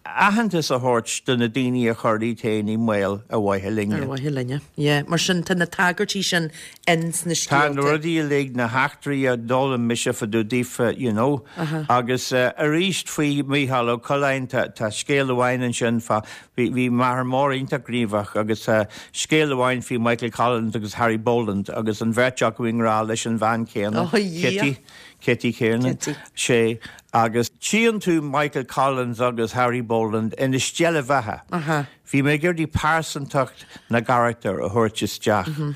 aitheantas a thabhairt do na daoine a chuir iad féin i mbaol ar mhaithe linne. Ar mhaithe linne. Yeah, mar sin tá na tagairtí sin ins na Tá na scéalta. rudaí uilig na heachtraí a d'fhoghlaim mise fá dtaobh daofa, you know. Agus uh, arís faoi Mícheál Ó Coileáin tá tá scéal amháin ansin fá bhí bhí m'athair mór iontach gníomhach agus uh, scéal amháin faoi Michael Collins agus Harry Boland agus an bheirt acu i ngrá leis an bhean chéanna Oh, yeah. Kitty Kitty Kiernan Kitty. sé agus tchíonn tú Michael Collins agus Harry Boland ina steillebheatha. Aha. Bhí mé ag iarraidh pearsantacht na gcarachtar a thabhairt isteach. Mm -hmm.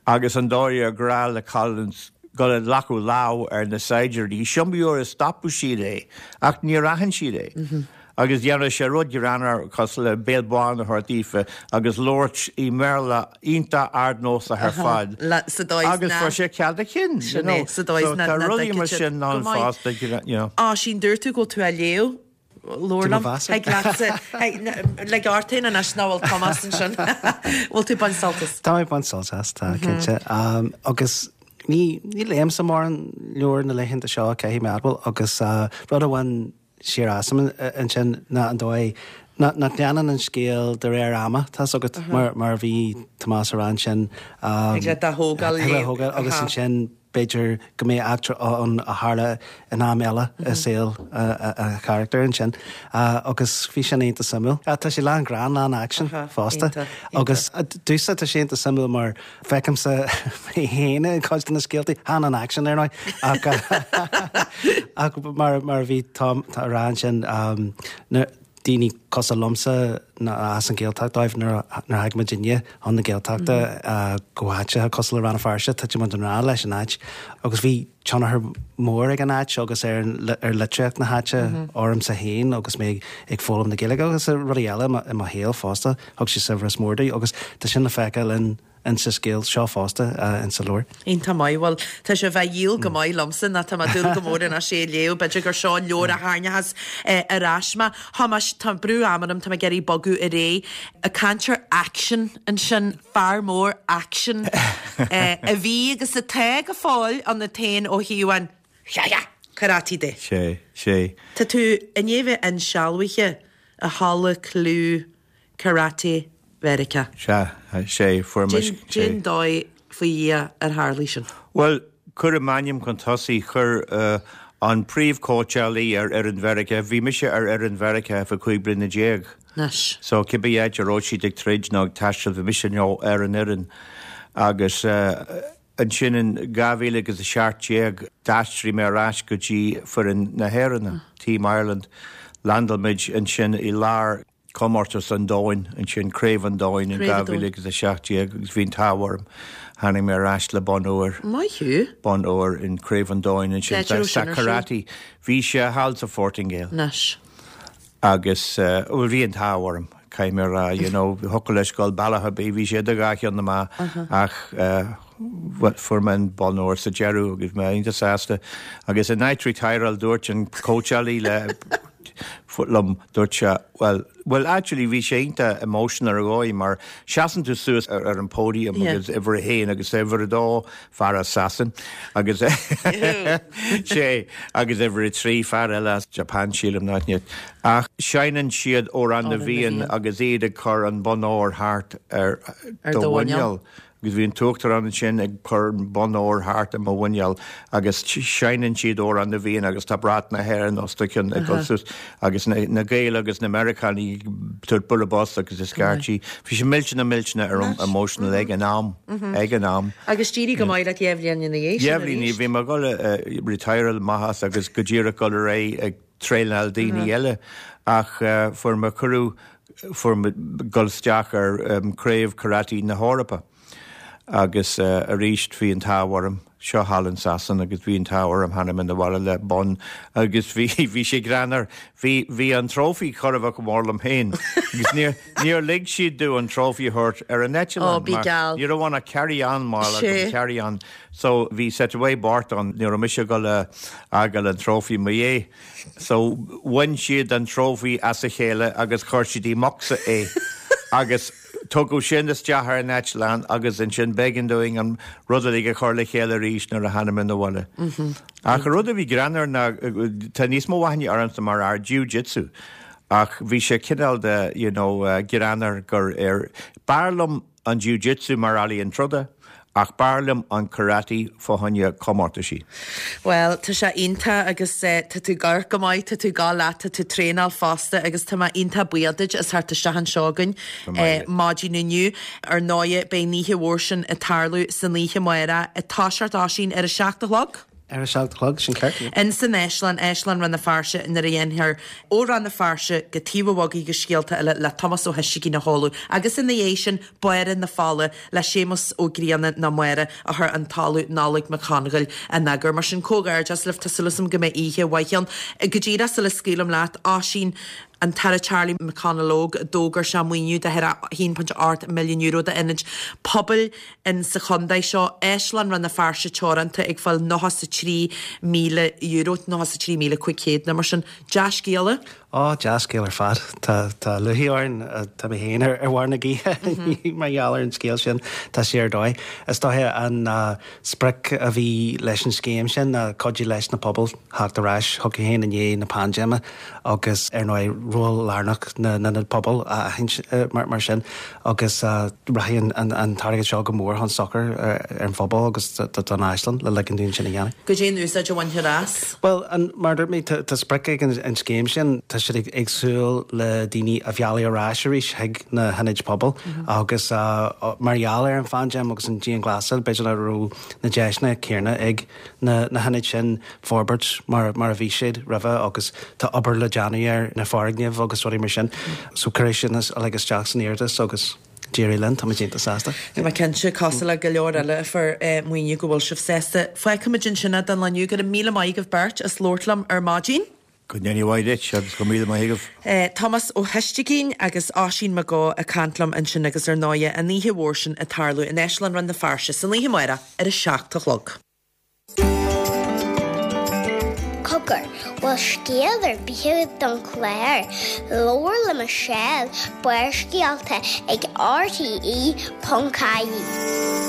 Agus an dóigh ar grá le Collins go le lacú lá ar na saighdiúirí, Siomúr a stopadh siad é, ach níor aithin siad é. Mm -hmm. Agus dhéanadh sé rud greannmhar cosúil le béal bán a thabhairt daofa agus labhairt i mBéarla iontach ardnósach ar fad. Le- sa dóigh Agus na- fuair sé cead a chinn. Sin é, sa dóigh So na- tá na rudaí mar dtuigfidh siad sin go ann maith. fosta, you know. Á sin dúirt tú go tú a léamh Leabhar Tá mo mheas. Ag leatsa le gartain an eis ná bhfuil Tomás ansin. Bhfuil tú bain sult as. Tá mé baint sult as tá cinnte. Um, agus ní ní léimse mórán leabhar na laethanta seo caithfidh mé a admháil agus uh, rud a bhain siar asam ansin ná an dóigh nach leanann an scéal de réir ama tá agat mar mar bhí Tomás ar sin um, Ag le a thógáil ag le thógáil agus ansin b'fhéidir go mbeidh eachtra an a tharla in am eile i saol a charachtar ansin agus bhí sin iontach suimiúil. Tá sé lán greann lán action fosta agus dúsa tá sé iontach suimiúil mar feicimse mé féin i gcuid de na scéaltaí chan an action ar ach ach mar mar bhí tá rá sin daoine cosúil liomsa na as an Ghaeltacht dóibh nuair a thagann muidinne chun na Gaeltachta go háite cosúil le Rann na Feirste tá muid i ngrá leis an áit agus bhí tionchar mór ag an áit agus ar ar litríocht na háite ormsa féin agus mé ag foghlaim na Gaeilge agus rudaí eile i mo shaol fosta thug sé saibhreas mór di agus tá sin le feiceáil in in sa scéal seo fosta in sa leabhar. Iontach maith bhuel tá sé bheith dhíol go maith liomsa ná tá dúil go mór in sé léamh, b'fhéidir gur seo leabhar a tharraingeoidh ar ais mé. Thomas tá brú ama tá ag iarraidh bogadh ar aghaidh a caint ar action ansin fear mór action a bhí agus atá go fóill an na tain ó híhan karate de. Sé sé. Tá tú i ndiaidh bheith insealbhaithe i halla clú karate Mheiriceá. Se sé fuair Cén dóigh faoi Dhia ar tharla sin. Well, chuir m'ainm chun tosaigh chuir uh, an príomhchóitseálaí ar ar an Mheiriceá, bhí mise ar ar an Mheiriceá fá cúig bliana déag. Anois. So cibé áit a raibh siad ag troid nó ag taisteal bhí mise nó ar an fhoireann agus uh, ansin in dhá mhíle agus a seacht déag d'aistrigh mé ar ais go dtí foireann na hÉireann, Team Ireland, landáil muid ansin i lár comórtas an domhain ansin craobh an domhain in dhá mhíle agus a seacht déag agus bhí an t-ádh orm tháinig mé ar ais le bonn óir. Maith thú? Bonn óir in craobh an domhain ansin sa karate. Bhí sé thall sa Phortaingéil. Anois. Agus uh, bhí an t-ádh orm caithfidh mé rá you know, thiocfadh leis dul bealach ar bith bhí sé de gach ceann amach ach uh, fuair mé an bonn óir sa deireadh agus mé iontach sásta agus in night retiral dúirt an cóitseálaí le liom dúirt sé well well actually bhí sé iontach emotional ar dhóigh mar seasann tú suas ar, ar an podium Yeah. agus uimhir a haon agus uimhir a dó fear as Sasain agus sé agus uimhir a trí fear eile as Japan sílim nach net. Ach seinneann siad Amhrán na Amhrán na bhFiann bhFiann. agus iad ag cur an bonn óir thart ar Ar do do mhuineál. mhuineál. Agus bhí an t-uachtarán sin ag cur an bonn óir thart ar mo mhuineál agus seinneann siad Amhrán na bhFiann agus tá brat na hÉireann os do chionn ag dul suas agus na, na Gaeil agus na Meiriceánaigh ag bualadh bos agus is scairtí. Bhí sé millteanach millteanach ar emotional ag an am ag an am. Agus d'éirigh go maith le dhá bhliain ina dhiaidh sin Dhá bhliain arís. bhí mé ag dul retire amach agus go díreach dul ar aghaidh ag traenáil daoine eile ach uh, fuair mé cuireadh fuair mé dul isteach ar um, craobh karate na hEorpa. Agus uh, arís bhí an t-ádh orm seo thall in Sasain agus bhí an t-ádh orm tháinig mé abhaile le bonn agus bhí bhí sé greannmhar bhí bhí an trophy chor a bheith go mór liom féin. Agus níor níor lig siad domh an trophy a thabhairt ar an eitleán Ó, bí geall. Ní raibh a carry on mar Sé. carry on. So bhí set away Bart an ní raibh mise go le fhágáil an trophy mo é. So bhain siad an trophy as a chéile agus chuir siad i mbocsa é. agus tugadh sin isteach ar an eitleán agus ansin b'éigean dúinn an rud a chur le chéile arís nuair a tháinig mé abhaile. Ach an rud a bhí greannmhar ná tá níos mó aithne ormsa mar fhear jiu-jitsu. Ach bhí sé cineál de you know, uh, greannmhar gur ar b'fhearr liom an jiu-jitsu mar ealaíon troda, ach b'fhearr liom an karate fá choinne comórtaisí. Well, tá sé iontach agus uh, tá tú gar go maith, tá tú gá leat, tá tú traenáil fosta agus tá mé iontach buíoch duit as theacht isteach anseo againn uh, maidin inniu ar ndóigh beidh an oíche mhór sin ag tarlú san oíche amárach ag toiseacht Oisín ar a seacht a chlog. Ar a seacht a chlog sin ceart. In san Áislann Áislann Rann na Feirste nuair a dhéanfar ó Rann na Feirste go Taobh an Bhogaigh agus scéalta eile le Tomás Ó hOistigín a sheoladh agus ina dhiaidh sin Báire na Fola le Séamus Ó Grianna nó Máire a chuir an tOllamh Nollaig Mac Congail in eagar. Mar sin comhghairdeas libh tá súil agam go mbeidh oíche mhaith ann. Go díreach sula scaoilim leat Oisín an tAire Charlie McConalogue d'fhógair sé maoiniú de a haon pointe ocht milliún euro d'ionaid pobail in sa chontae seo Áislann Rann na Feirste Teoranta ag fáil nócha is a trí míle euro, nócha is a trí míle cúig chéad nó mar sin. Dea-scéala? Ó dea-scéal ar fad Tá tá lúcháir orainn tá mé féin ar ar bharr na gaoithe mar gheall ar an scéal sin tá sé ar dóigh. Is dóiche an uh, sprioc a bhí leis an scéim sin ná cuidiú leis na pobail theacht ar ais chucu féin i ndiaidh na paindéime agus ar ndóigh ról lárnach na na pobal a aithint mar mar sin agus uh, rachaidh an, an t-airgead seo go mór chun sochair ar an phobal agus don áislann le ligean dúinn sin a dhéanamh. Goidé an úsáid a bhainfear as? Well an mar dúirt mé tá sprioc ag an, an scéim sin tá siad ag ag súil le daoine a mhealladh ar ais arís chuig na hionaid pobail mm -hmm. agus uh, mar gheall ar an phaindéim agus an dianghlasáil b'fhéidir nach raibh na deiseanna céanna ag na, na hionaid sin forbairt mar, mar a bhí siad roimhe agus tá obair le déanamh ar na foirgnimh agus rudaí mar sin. So cuireadh sin uilig isteach san iarratas agus d'éirigh linn tá muid iontach sásta. Tá mé cinnte cosúil le go leor eile a fuair maoiniú go bhfuil sibh sásta. Fágfaimid ansin é don lá inniu go raibh míle maith agaibh beirt as labhairt liom ar maidin. Go ndéana mhaith duit agus go míle maith agaibh. Tomás Ó hOistigín agus Oisín Mac Gó ag caint liom ansin agus ar ndóigh an oíche mhór sin ag tarlú in Áislann Rann na Feirste san oíche amárach ar a seacht a chlog. Cogar, bhfuil scéal ar bith agat don chlár, Labhair le Michelle, Barrscéalta ag RTE ponc ie.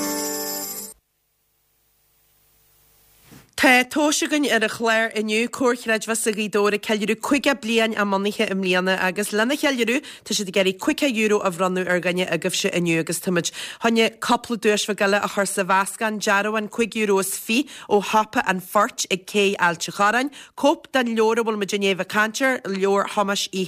Tá tomhais againn ar an chlár inniu, Comhar Creidmheasa Ghaoth Dobhair ag ceiliúradh caoga bliain a mbunaithe i mbliana agus lena cheiliúradh tá siad ag iarraidh caoga euro a bhronnadh ar dhuine agaibhse inniu agus táimid chun cúpla duais bheag eile a chur sa mheascán, dearbhán cúig euro is fiche ó Shiopa an Phoirt ag Cé Ailt an Chorráin, cóip den leabhar a bhfuil muid i ndiaidh a bheith ag caint air, leabhar Thomáis Uí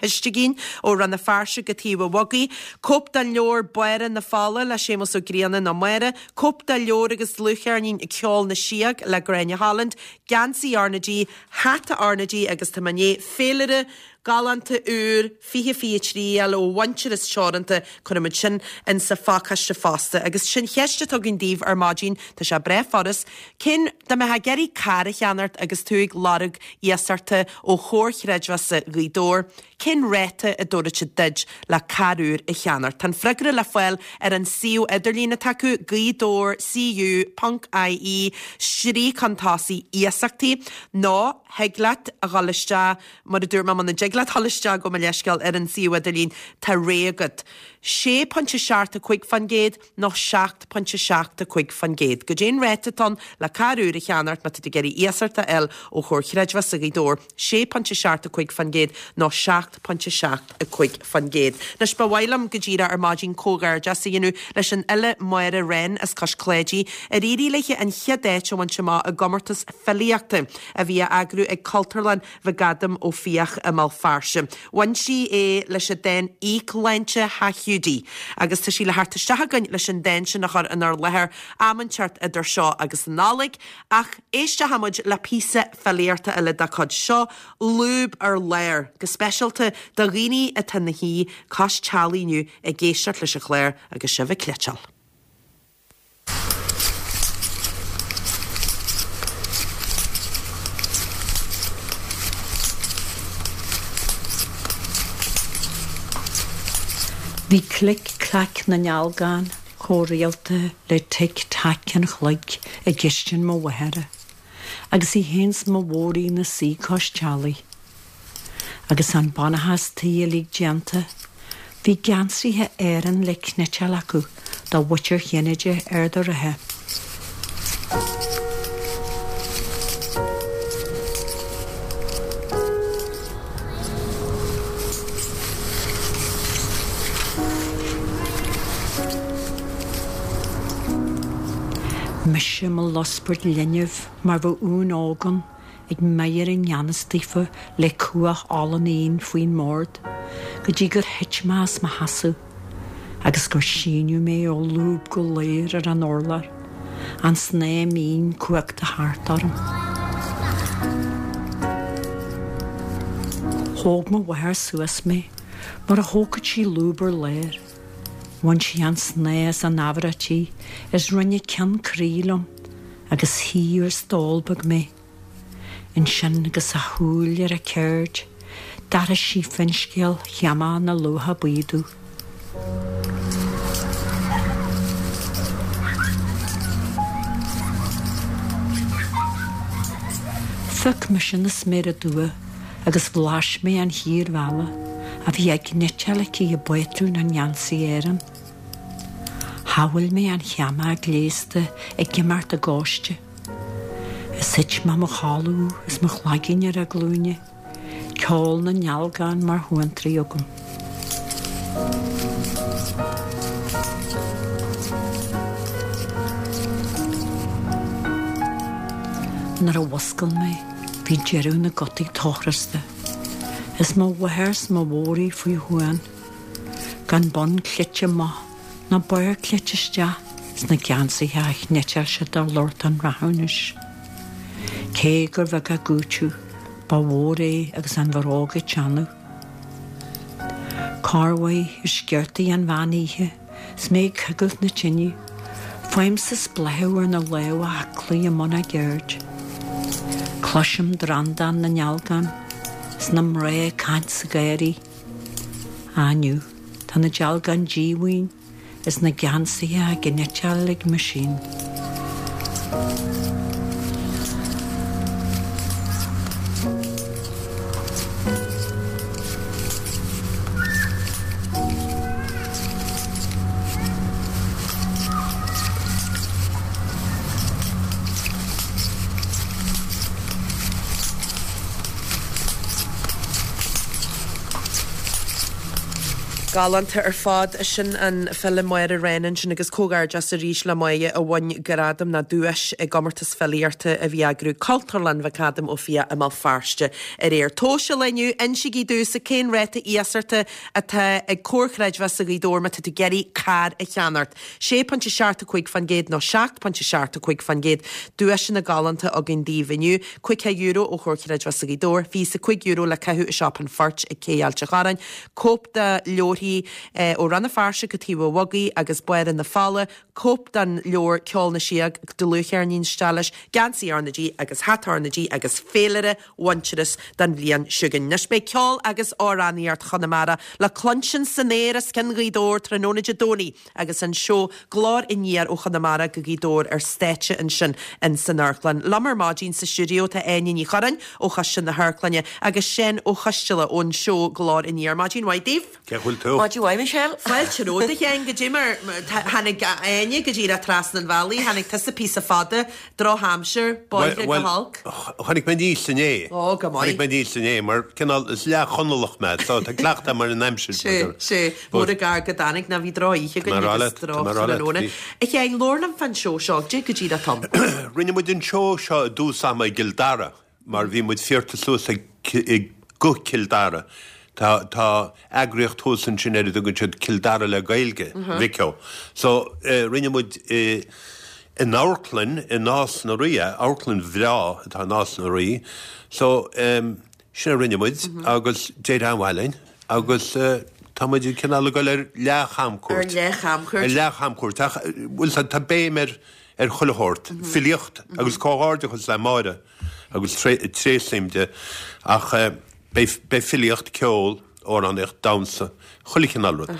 Oistigín ó Rann na Feirste go Taobh an Bhogaigh, cóip den leabhar Báire na Fola le Séamus Ó Grianna nó Máire, cóip den leabhar agus dlúthcheirnín Ceol na Síog le Gráinne Holland, geansaí R na G, hata R na G agus tá mé i ndiaidh féilire galánta úr fiche fiche trí a fháil ó Mhuintearas Teoranta, cuirfimid sin in sa phacáiste fosta. Agus sin cheist atá againn daoibh ar maidin, tá sé breá furast, cén, dá mbeifeá ag iarraidh carr a cheannacht agus tú ag lorg iasachta ó Chomhar Chreidmheasa Ghaoth Dobhair, cén ráta a dtabharfaidh siad duit le carr úr a cheannacht? Tá an freagra le fáil ar an suíomh idirlín atá acu, Gaoth Dobhair CU ponc IE, stríoc chun tosaigh iasachtaí, nó thig leat a dhul isteach, mar a dúirt mé, muna dtig leat dhul isteach gabh mo leithscéal ar an suíomh idirlín, tá rogha agat. sé pointe seacht a cúig faoin gcéad nó seacht pointe seacht a cúig faoin gcéad. Goidé an ráta atá ann le carr úr a cheannacht má tá tú ag iarraidh iasacht a fháil ó Chomhar Chreidmheasa Ghaoth Dobhair, sé pointe seacht a cúig faoin gcéad nó seacht pointe seacht a cúig faoin gcéad. Anois ba mhaith liom go díreach ar maidin comhghairdeas a dhéanamh leis an fhile Máire Wren as Cois Cláidí ar éirigh léi an chéad áit a bhaint amach i gcomórtas filíochta a bhí á eagrú ag Cultúrlann McAdam Ó Fiaich i mBéal Feirste. Bhain sí é leis an dán Íocshláinte Hiúdaí agus tá sí le theacht isteach chugainn leis an dán sin a chur inár láthair am inteacht idir seo agus an Nollaig ach éistfidh muid le píosa filíochta eile dá cuid seo, Lúb ar Lár, go speisialta do dhaoine atá ina shuí cois teallaigh inniu ag éisteacht leis an chlár agus sibh ag cleiteáil. Bhí clic clac na ndealgán chomh rialta le tic tac an chloig i gcistin mo mháthara, agus í féin 's mo mhóraí 'na suí cois teallaigh. Agus an bunachas tí uilig déanta, bhí geansaithe Éireann le cniotáil acu do mhuintir Chinnéide Ard an Rátha. Mise i mo luspairt linbh mar bheadh uan óg ann ag meidhir i ngan fhios daofa le cuach olann éin faoin mbord go dtí gur thit mé as mo sheasamh agus gur síneadh mé ó lúb go léir ar an urlár, an snáth mín cuachta thart orm. Thóg mo mháthair suas mé mar a thógfadh sí lúb ar lár. Bhain sí an snáth as an ábhar tí is rinne ceann croí liom agus shuigh ar stól beag mé. Ansin agus a shúil ar a ceird, d'aithris sí finscéal Sheamá na Luaithe Buí domh. Phioc mise na sméara dubha agus bhlais mé an chíor mheala a bhí á cniotáil aici i bpátrún an gheansaí Éireann. Shamhail mé an Sheamá gléasta ag imeacht i gcóiste. Is thit mé mo chodladh is mo chloigeann ar a glúine, ceol na ndealgán mar shuantraí agam. Nuair a mhuscail mé, bhí deireadh na gcotaí tochrosta, is mo mháthair 's mo bhodhraí faoi shuan, gan bonn cleite amach ná barr cleite isteach sna geansaithe a chniotáil siad do lucht an rathúnais. Cé gur bheag a gcúiteamh, ba mhór é agus an bhróg ag teannadh. Corruair i sciortaí an mheán oíche 's mé ag coigilt na tine, faighimse spléachadh ar na lámha aclaí i mbun a gceird. Cloisim drandán na ndealgán 's na mná ag caint sa gharraí. Á inniu, tá na dealgáin díomhaoin is na geansaithe á gcniotáil ag meaisín. Galánta ar fad. Sin an file Máire Wren ansin agus comhghairdeas arís le Máire a bhain gradam nó duais i gcomórtas filíochta a bhí á eagrú Cultúrlann McAdam Ó Fiaich i mBéal Feirste aréir. Tomhais an lae inniu, insígí domhsa cén ráta iasachta atá ag Comhar Creidmheasa Ghaoth Dobhair má tá tú ag iarraidh carr a cheannacht. sé pointe seacht a cúig faoin gcéad nó seacht pointe seacht a cúig faoin gcéad. Duaiseanna galánta againn daoibh inniu. Caoga euro ó Chomhar Creidmheasa Ghaoth Dobhair, fiche a cúig euro le caitheamh i Siopa an Phoirt ag Cé Ailt an Chorráin, cóip de leabharthaí ó Rann na Feirste go Taobh an Bhogaigh agus Báire na Fola, cóip den leabhar Ceol na Síóg, dlúthcheirnín isteach leis, geansaí R na G agus hata R na G agus féilire Mhuintearas don bhliain seo chugainn. Anois beidh ceol agus amhránaíocht Chonamara le cluinstin san aer os cionn Ghaoth Dobhair tráthnóna Dé Domhnaigh agus an seó Glór Aniar ó Chonamara go Gaoth Dobhair ar stáitse ansin in san amharclann. Liom ar maidin sa stiúideo tá Áine Ní Churráin ó Choiste na hAmharclainne agus Seán Ó Coisteala ón seó Glór Aniar. Maidin mhaith daoibh. Cén chaoi a bhfuil tú? Maidin mhaith, Michelle. Fáilte romhat a Sheáin go dtí mar tháinig Áine go díreach trasna an bhealaigh, tháinig tusa píosa fada, drochaimsir, bóithre go holc. Tháinig mé aníos inné. Ó, go maith. Tháinig mé aníos inné mar cineál is leath-Chonallach mé, so tá cleachtadh agam ar an aimsir. Sé, sé, mór an gar go dtáinig ná bhí drochoíche againn agus drochthráthnóna. A Sheáin, labhair liom fán seó seo, goidé go díreach atá ann. Rinne muid an seó seo i dtús ama i gCill Dara mar bhí muid fíorta suas ag go Cill Dara. Tá tá eagraíocht thuas ansin ar a dtugann siad Cill Dara le Gaeilge, Vico. So rinne muid in amharclann i Nás na Rí, amharclann bhreá atá i Nás na Rí. So sin a rinne muid agus d'éirigh an-mhaith linn agus tá muid cineál ag dul ar leath-chamcuairt. Ar leath-chamcuairt. Ar leath-chamcuairt. Ach bhfuil tá béim ar ar chuile shórt, filíocht agus comhghairdeachas le Máire agus tréaslaím di ach beidh beidh filíocht, ceol, amhránaíocht, damhsa, chuile chineál rud.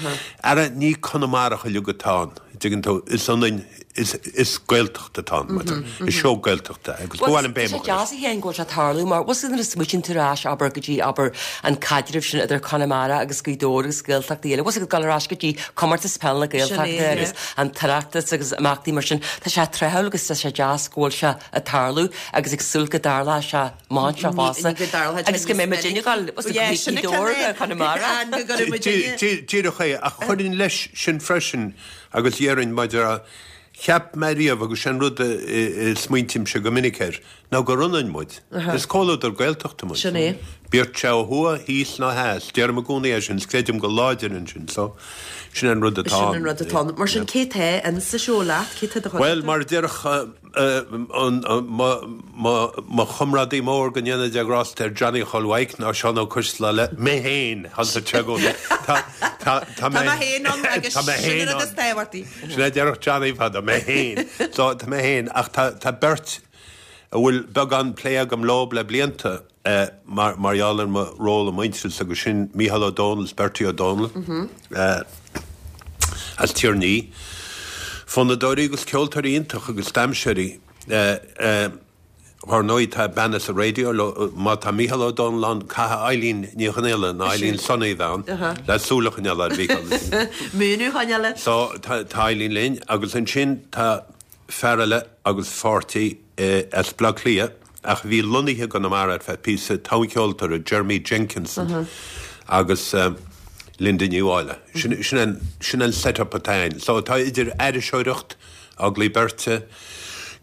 Ara ní Conamarach uilig atá ann, dtuigeann tú, is ionann, is is Gaeltacht atá ann, mar is seó Gaeltachta é agus ba mhaith liom béim a Tá sé deas a Sheáin go bhfuil sé ag tarlú mar bhfuil nuair a smaoitíonn tú ar ais abair go dtí abair an caidreamh sin idir Conamara agus Gaoth Dobhair agus Gaeltachtaí eile, bhfuil ag dul ar ais go dtí comórtas peile na Gaeltachta agus an tOireachtas agus imeachtaí mar sin. Tá sé tráthúil agus tá sé deas go bhfuil sé ag tarlú agus ag súil go dtarlóidh sé amach anseo fosta agus go mbeidh muid ag dul Gaoth Dobhair go Conamara. Díreach é, ach chuirfinn leis sin freisin agus dhéarfainn maidir Cheap mé riamh, agus sin rud a smaointímse go minic air, ná gur ionann muid. Is comhluadar Gaeltachta muid. Sin é. Bíodh sé ó thuaidh, thíos nó theas. Deirim i gcónaí é sin, is creidim go láidir ansin. So, sin an rud atá ann. Sin an rud atá ann. Mar sin, cé tá in sa seó leat? Cé tá i do chuideachta? Bhuel, mar a déarfadh mo chomrádaí mór, go ndéana Dia grásta air, Johnny Chóil Mhaidhc, nó Seán Ó Coisdealbha, mé féin, thánn sé i gcónaí. Tá Tá mé féin ann agus sin an rud is tábhachtaí. Sin a déarfadh Johnny fadó, mé féin. So tá mé féin, ach tá tá beirt a bhfuil beagán plé agam leo le blianta mar mar gheall ar mo ról i Muintearas agus sin Mícheál Ó Dónaill is Bertie Ó Dónaill as Tír an Fhí. Fonnadóirí agus ceoltóirí iontach agus damhsóirí. Ar ndóigh tá bean as an raidió, má tá Mícheál Ó Dónaill ann, caithfidh Eileen Ní Chonghaile nó Eileen Sonaí a bheith ann le súil a choinneáil ar Mhícheál. Múineadh a choinneáil air. So tá Eileen linn agus ansin tá fear eile agus pháirtí as Baile Átha Cliath ach a bhí lonnaithe i gConamara ar feadh píosa, toncheoltóir, Jeremy Jenkinson agus Linda Ní Mháille. Sin an set-up atá ann. So tá idir aithriseoireacht, agallaimh beirte,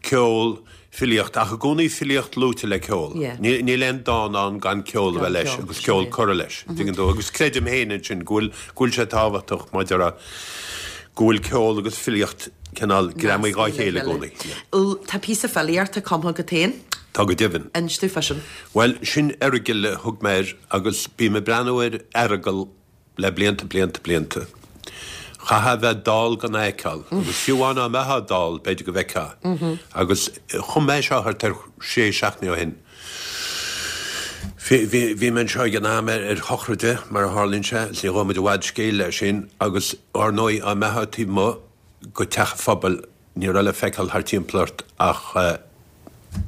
ceol, filíocht, ach i gcónaí filíocht luaite le ceol. Níl aon dán ann gan ceol a bheith leis agus ceol curtha leis, tuigeann tú. Agus creidim féin ansin go bhfuil, go bhfuil sé tábhachtach maidir le, go bhfuil ceol agus filíocht cineál greamaithe dhá chéile i gcónaí. Tá píosa filíochta cumtha agat féin? Tá go deimhin. Inis dúinn fá sin. Bhuel, sin Earagail a thug mé air agus bím ag breathnú ar Earagail le blianta, blianta, blianta. Chaithfeá a bheith dall gan é a fheiceáil. Agus fiú amháin dá mbeifeá dall, b'fhéidir go bhfeicfeá. Agus chum mé seo thart ar sé seachtaine ó shin. Bhí, bhí mé anseo ag an am ar, ar shochraide, mar a tharlaíonn sé, is ní ghabhfaidh muid i bhfad scéil leis sin, agus ar ndóigh, dá mbeifeá taobh amuigh go teach an phobail, ní raibh le feiceáil thart timpeall ort ach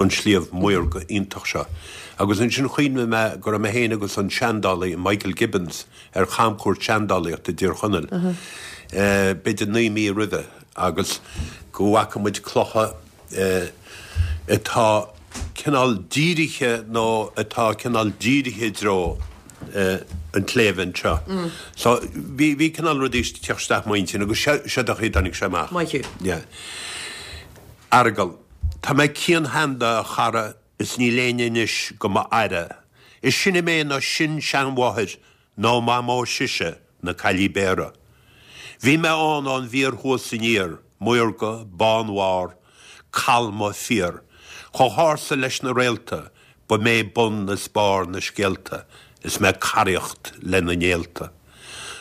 an sliabh maorga iontach seo. Agus ansin chuimhnigh mé go raibh mé féin agus an seandálaí Michael Gibbons ar chamchuairt seandálaíochta i dTír Chonaill, b'fhéidir naoi mí roimhe, agus go bhfaca muid clocha atá cineál dírithe nó atá cineál dírithe i dtreo an tsléibhe anseo. So bhí bhí cineál rudaí ag teacht isteach m'intinn agus seo seo an chaoi a dtáinig sé amach. Maith thú. Yeah. Earagail. Tá mé cian-sheanda a chara is níl éinne anois go m'aire. Is sine mé ná sin-seanmháthair ná mamó sise na Caillí Béara. Bhí mé ann ón bhfíor thuas aniar, maorga, bánbharr, calma, fíor. Chomh hársa leis na réalta, ba mé bun is barr na scéalta is mé ag caraíocht le na néalta.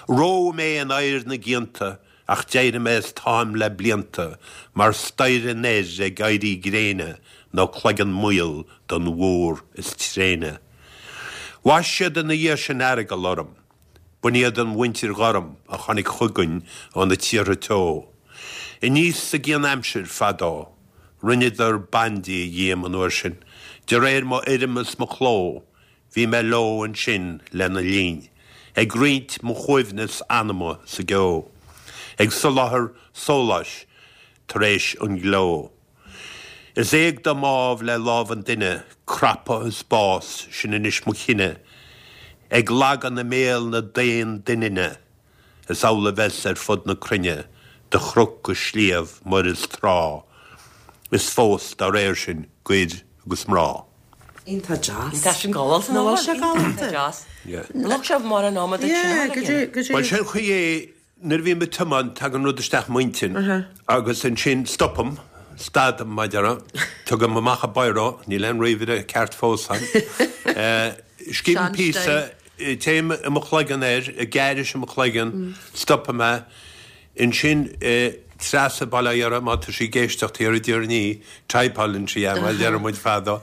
Reodh mé in oighear na gcianta ach d'éirigh mé is táim le blianta mar staighre an aeir ag éirí gréine nó cloigeann maol don mhór is tréine. Bhaist siad ina dhiaidh sin Earagail orm. B'in iad an mhuintir ghorm a tháinig chugainn ó na tíortha teo. Aníos sa gcianaimsir fadó. Rinneadar bandia dhíom an uair sin, de réir mo fhoirm is mo chló, bhí mé leo ansin lena linn, ag roinnt mo shuaimhneas anama sa gceo, ag soláthar sóláis tar éis an ghleo. Is éag dom ámh le lámh an duine, crapadh is bás, sin anois mo chine, ag lagan i mbéal na daon doininne, Is amhlaidh a bheas ar fud na cruinne, de chnoc go sliabh, muir is trá, is fós dá réir sin, d'fhir agus mná. Iontach deas. Tá sin galánta. Nach bhfuil sé galánta? Iontach deas. Yeah. Lucht sé mar an am a duit sin. Yeah, go dtí, go dtí. Bhuel, sin an chaoi é, nuair a bhím ag tiomáint, tagann rud isteach m'intinn agus ansin stopaim, stadaim, mar a déarfá, tugaim amach an biro, níl aon ríomhaire ceart fós agam, scríobhaim píosa, Téim i mo chloigeann air, ag aithris i mo chloigeann, stopaim é. Ansin, Treasa bail ó Dhia uirthi, má tá sí ag éisteacht thiar i dTír an Fhí, typeálann sí é, mar a deireadh muid fadó.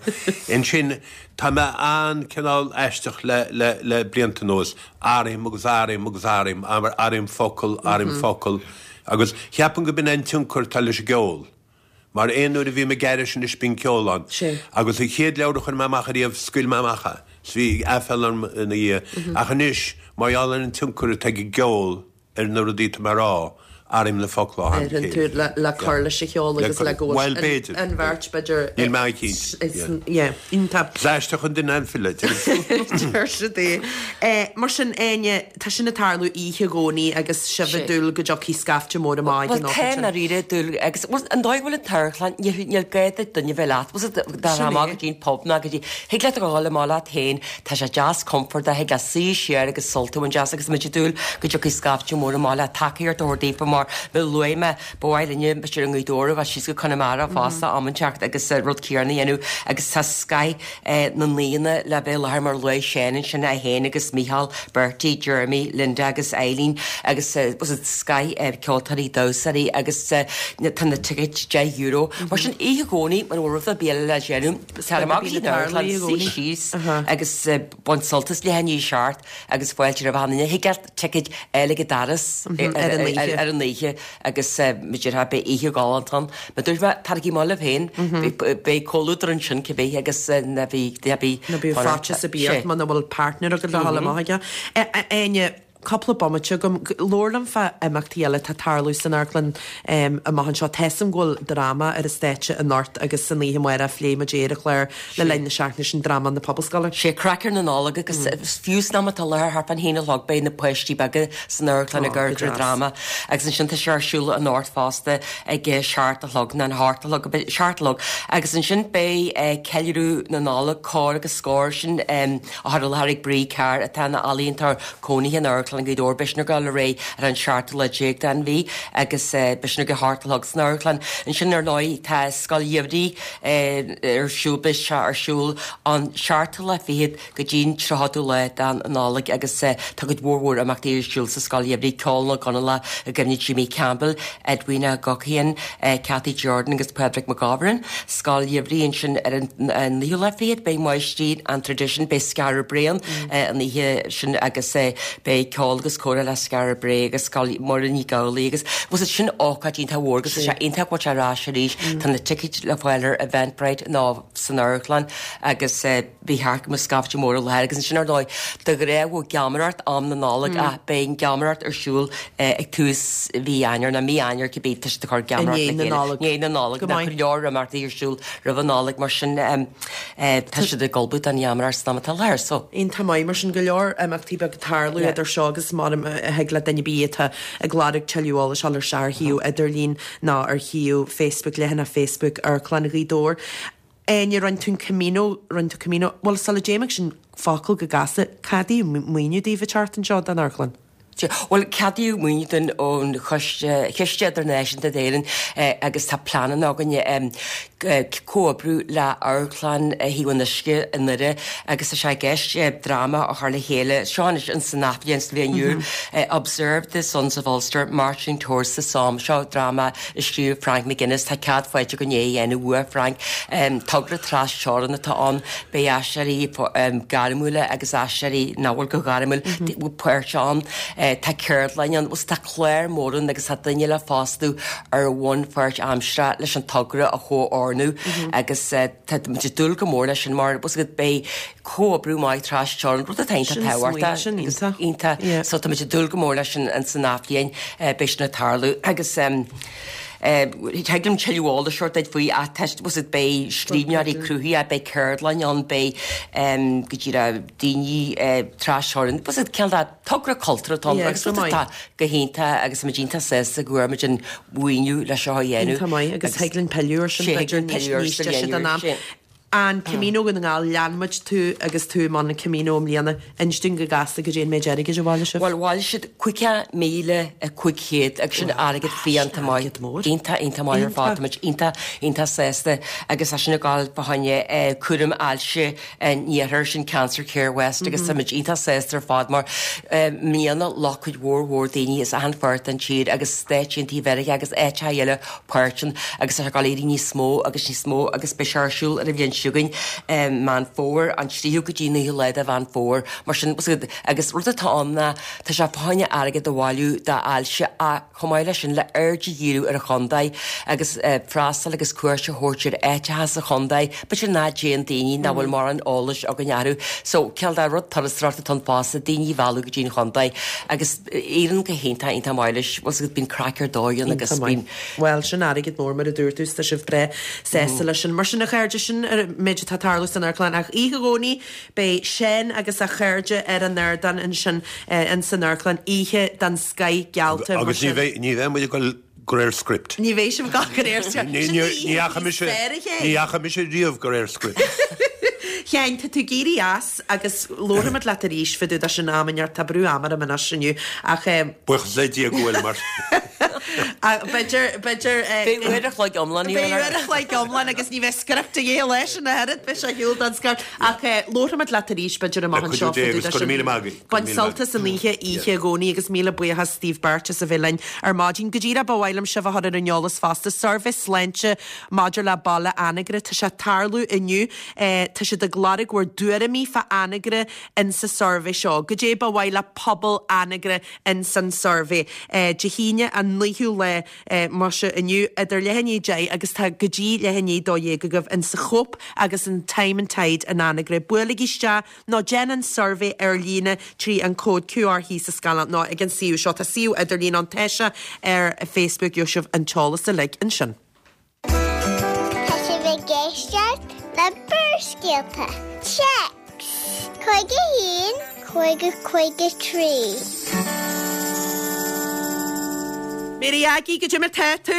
Ansin, tá mé an-cineál aisteach le, le, le blianta anuas. Athraím agus athraím agus athraím, athraím focal, athraím focal. Agus cheapfainn go b'in é an tionchar atá leis an gceol. Mar aon uair a bhím ag aithris anois bíonn ceol ann. Sea. Agus an chéad leabhar a chuir mé amach ariamh, scaoil mé amach é. 's bhí aiféala orm ina dhiaidh. Ach anois, mar gheall ar an tionchar atá ag an gceol ar na rudaí atá mé a rá, Airím na focla Ar an tú le le cur leis an cheol agus le go Bhuel, b'fhéidir. an bheirt b'fhéidir Níl mé cinnte, Yeah, iontach. Is aisteach an duine an file. Deir siad é. Eh, Mar sin Áine tá sin ag tarlú oíche Dhomhnaigh agus sibh ag dúil go dtiocfaidh scaifte mór amach Well tá dáiríre dúil agus well, an dóigh bhfuil an t-amharclann níl níl gá duit duine bheith leat dá Sin amach é. go dtí an pub ná go dtí thig leat a ghabháil amach leat féin tá sé deas compordach thig leat suí siar agus sult a bhaint as agus muid ag dúil go dtiocfaidh scaifte mór amach le tacaíocht a thabhairt daofa mar mar a luaigh mé ba mhaith linne b'fhéidir i nGaoth Dobhair a bheith síos go Conamara fosta am inteacht agus eh, rud céanna a dhéanamh agus tá scoth eh, na ndaoine le bheith i láthair mar luaigh Seán ansin é féin agus Micheál, Bertie, Jeremy, Linda agus Eileen agus eh, was it scoth eh, ceoltóirí damhsóirí agus eh, na- tá na tickets deich euro. Mar sin oíche Dhomhnaigh mar bhfuil rud ar bith le déanamh tar amach bíonn go dtí an tarlú amharclann, i suí gcónaí. síos agus eh, bain sult as leath i ndiaidh a seacht agus fáilte roimh achan duine. Thig leat ticket eile go doras Mhm, ar an oíche. ar an oíche agus b'fhéidir beidh oíche ghalánta ann. Ma dúirt mé taraigí amach libh féin beidh comhluadar ansin cibé agus na bhí bhí Na bíonn faitíos ar bith muna bhfuil partner agat le dhul amach aige. Áine cúpla bomaite agam labhair liom fá imeachtaí eile atá ag tarlú san amharclann um, amach anseo Tá a fhios agam go bhfuil dráma ar an stáitse anocht agus san oíche amárach phléigh muid ar an chlár le linn na seachtaine sin dráma na Pobalscoile. Sé craic na Nollag agus fiú san am atá láthair thart fán haon a chlog beidh na páistí beaga san amharclann ag Ó, amharc go ar deas. dráma agus ansin tá sé ar siúl anocht fosta ag eh, seacht a chlog ná an hocht a chlog seacht a chlog agus ansin beidh eh, ceiliúradh na Nollag cór agus scór sin um, a chur i láthair ag Brí Carr atá ina ealaíontóir cónaithe in Amharclann Ghaoth Dobhair beidh sin ag gabháil ar aghaidh ar an seachtú lá déag den mhí agus eh, beidh sin ag a hocht a chlog san amharclann. Ansin ar ndóigh tá scoil gheimhridh eh, ar siúl beidh sé ar siúl an seachtú lá fichead go dtí an tríochadú lá den Nollaig agus eh, tá cuid mhór mhór imeachtaí ar siúl sa scoil gheimhridh Ceol na gConallach i gcuimhne Jimmy Campbell, Edwina Guckian, eh, Cathy Jordan agus Patrick McGovern. Scoil gheimhridh ansin ar an an naoú lá fichead beidh máistrí an tradition beidh Skara Brae eh, an oíche sin agus eh, beidh ceol agus comhrá le Skara Brae agus scoil Muireann Ní Ghabhlaí agus was it sin ócáid iontach mhór agus sé iontach go ar ais arís tá na tickets le fáil ar Eventbrite ná san amharclann agus eh, bhí thart go scaifte mór le agus sin ar ndóigh de ghnáth geamaireacht am na Nollag a beidh geamaireacht ar siúl eh, ag tús mhí Eanáir na mí Eanáir cibé tá siad ag cur geamaireacht I ndiaidh na Nollag. Ndiaidh na Nollag Go na maith. go leor imeachtaí ar siúl roimh an Nollaig mar sin um, eh, tá siad ag ullmhú don gheamaireacht san am atá láthair so. Iontach maith mar sin go leor imeachtaí beag tarlú Yeah. idir seo agus mar a thig le duine ar bith atá ag lorg tuilleadh eolais ar ar shuíomh idirlín ná ar shuíomh Facebook leathanach Facebook Amharclann Ghaoth Dobhair. Áine rinne tú an Camino rinne tú Camino, Well sula dtéimid sin focal go gasta ceadaíodh maoiniú daoibh an tseachtain seo don amharclann. Well ceadaíodh maoiniú dúinn ón Chiste Chiste Idirnáisiúnta d'Éirinn eh, agus tá plean againne um, comhoibriú le Amharclann Thaobh an Uisce i nDoire agus tá sé i gceist eh, dráma a chur le chéile seo an san athbhliain sa bhliain úr eh, Observe the Sons of Ulster Marching Towards the Somme seo dráma a scríobh Frank McGuinness tá cead faighte againn é a dhéanamh uaidh Frank um, togra trasteorann atá ann beidh aisteoirí um, gairmiúla agus aisteoirí nach bhfuil go gairmiúil mm -hmm. páirt ann eh, tá ceardlann ann, tá clár mór ann agus tá duine le fostú ar bhonn páirtaimseartha leis an togra a chomhordú mm -hmm. agus eh, tá muid ag dúil go mór leis sin mar bus go beidh comhoibriú maith trasteorann rud atá Sin tábhachtach smaointe sin iontach. iontach Yeah. so tá muid ag dúil go mór leis sin an san athbhliain beidh sin ag tarlú agus um, Thig liom tuilleadh eolais a thabhairt faoi a was it beidh scríbhneoirí cruthaithe beidh ceardlann ann beidh um, go dtí daoine trasteorann was it ceann togra cultúrtha Yeah, agus go maith. tá go hiontach agus muid iontach sásta go bhfuair muid an maoiniú le seo a dhéanamh. Iontach maith agus thig linn pilleadh air sin Sé, b'fhéidir thig linn níos pilleadh air níos sa deise bhliain den úr, am. sé. An Camino na nGall lean muid tú agus tú man an Camino i mbliana inis dúinn go gasta goidé an méid airgid a bhailigh sibh. Well bhailigh siad caoga míle a cúig chéad agus sin airgead fiánta maith iontach iontach maith ar fad muid iontach iontach sásta agus é sin ag gabháil fá choinne cúram ailse an iarthair sin Cancer Care West agus mm -hmm. iontach sásta ar fad mar mbliana ghlac cuid mhór mhór daoine as achan pháirt den tír agus Stáit Aontaithe Mheiriceá agus áiteacha eile páirt ann agus tá ag éirí níos mó agus níos mó agus beidh sé ar siúl ar an bhliain chugainn, Meán Fómhair, an tríú go dtí naoú lá de Mheán Fómhair. Mar sin, agus rud atá ann ná tá sé fá choinne airgead a bhailiú d'ailse ach chomh maith leis sin le aird a dhíriú ar an chontae agus freastal agus cuairt a thabhairt ar áiteacha sa chontae, b'fhéidir nach dtéann daoine, nach bhfuil mórán eolais againn orthu. So, cineál de rud turasóireachta atá ann fosta, daoine a mhealladh go dtí an chontae agus éiríonn go hiontach, iontach maith leis, bhfuil 's agat, bíonn craic ar dóigh ann agus bíonn. Bhuel, sin airgead mór mar a dúirt tú, is tá sibh breá sásta leis sin. Mar sin, a chairde, sin an méid atá ag tarlú san amharclann ach oíche Dhomhnaigh beidh Seán agus a chairde ar an ardán ansin in san amharclann, oíche den scoith geallta. Agus ní bheidh, ní bheidh muid ag dul de réir script. Ní bheidh sibh ag dul de réir script. Ní dheachaigh mise, ní dheachaigh mise riamh de réir script. Sheáin, tá tú ag éirí as agus labharfaimid leat arís fá dtaobh de sin am inteacht, tá brú ama orm anois inniu ach. Buíochas le Dia go bhfuil mar. B'fhéidir, b'fhéidir. Beidh uair a chloig iomlán Beidh uair a chloig iomlán agus ní bheidh script a dhíth leis ina oiread, beidh sé ar shiúl don script. Ach labharfaimid leat arís b'fhéidir amach anseo fá dtaobh de sin. Bain sult as an oíche, oíche Dhomhnaigh agus míle buíochas daoibh beirt as a bheith linn ar maidin. Go díreach ba mhaith liom sibh a chur ar an eolas fosta, suirbhé sláinte maidir le baile Anagaire, tá sé ag tarlú inniu, tá siad ag lorg bhur dtuairimí fá Anagaire insa suirbhé seo. Goidé ba mhaith le pobal Anagaire insan suirbhé. Dé hAoine an naoú lá muise inniu idir leath i ndiaidh a deich agus tá go dtí leath i ndiaidh a dó dhéag agaibh insa Chóip agus in Time and Tide in Anagaire. Buailigí isteach nó déan an suirbhé ar líne trí an cód QR thíos sa scáileán nó ag an suíomh seo. Tá suíomh idirlín ann, tá sé ar Facebook, gheobhaidh sibh an t-eolas uilig ansin. Tá sibh ag éisteacht le Barrscéalta. Téacs cúig a haon, cúig a cúig a trí. Mary Aggie, goidé mar tá tú?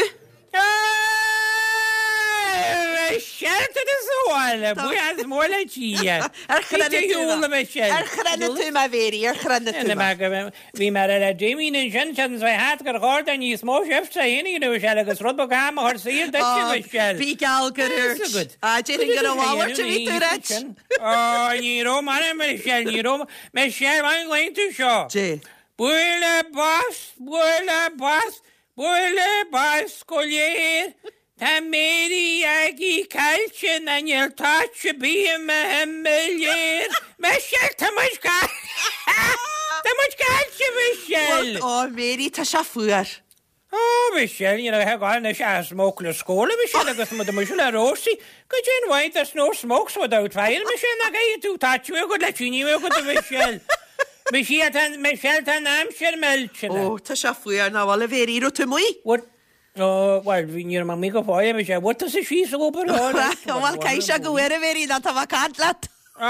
Buíochas mór le Dia. Ar chronaigh tú mé? Ar chronaigh tú mé, a Mhary? Ar chronaigh tú mé? Bhí mé ar Damien ansin, seans bheith hat gur chóir do níos mó sibhse a haon a Michelle agus rud beag ama a chur saor duit, a Michelle. Bhí geall gur úirt. Ah, déarfainn gur a mhalairt a bhí tú ráit. Ó, ní raibh mar a Michelle, ní raibh. Michelle, an nglaonn tú seo? Dé. Buaile bos, buaile bos, buaile bos go léir. Tá Mary Aggie caillte ná níl toit ar bith i mo thimléar. Michelle, tá muid Tá muid caillte, Michelle! Ó, Mary, tá sé fuar. Ó, Michelle, ní raibh ag anois a smoke le scóla, Michelle, agus mu muis le Rosie. Goidé an mhaith there's no smokes without fire, Michelle, nach é tú tá tú go le tíní go do Michelle. Michelle, tá Michelle, tá an aimsir millte. Ó, tá sé fuar ná bhfuil a Mhary, raibh tú amuigh? What? Ó, bhuel, bhí ní raibh mé amuigh go fóill, Michelle. Bhfuil tusa síos ag obair? Bhuel, caithfidh sé go bhfuil a Mhary, ná tá mé ag caint leat. Á,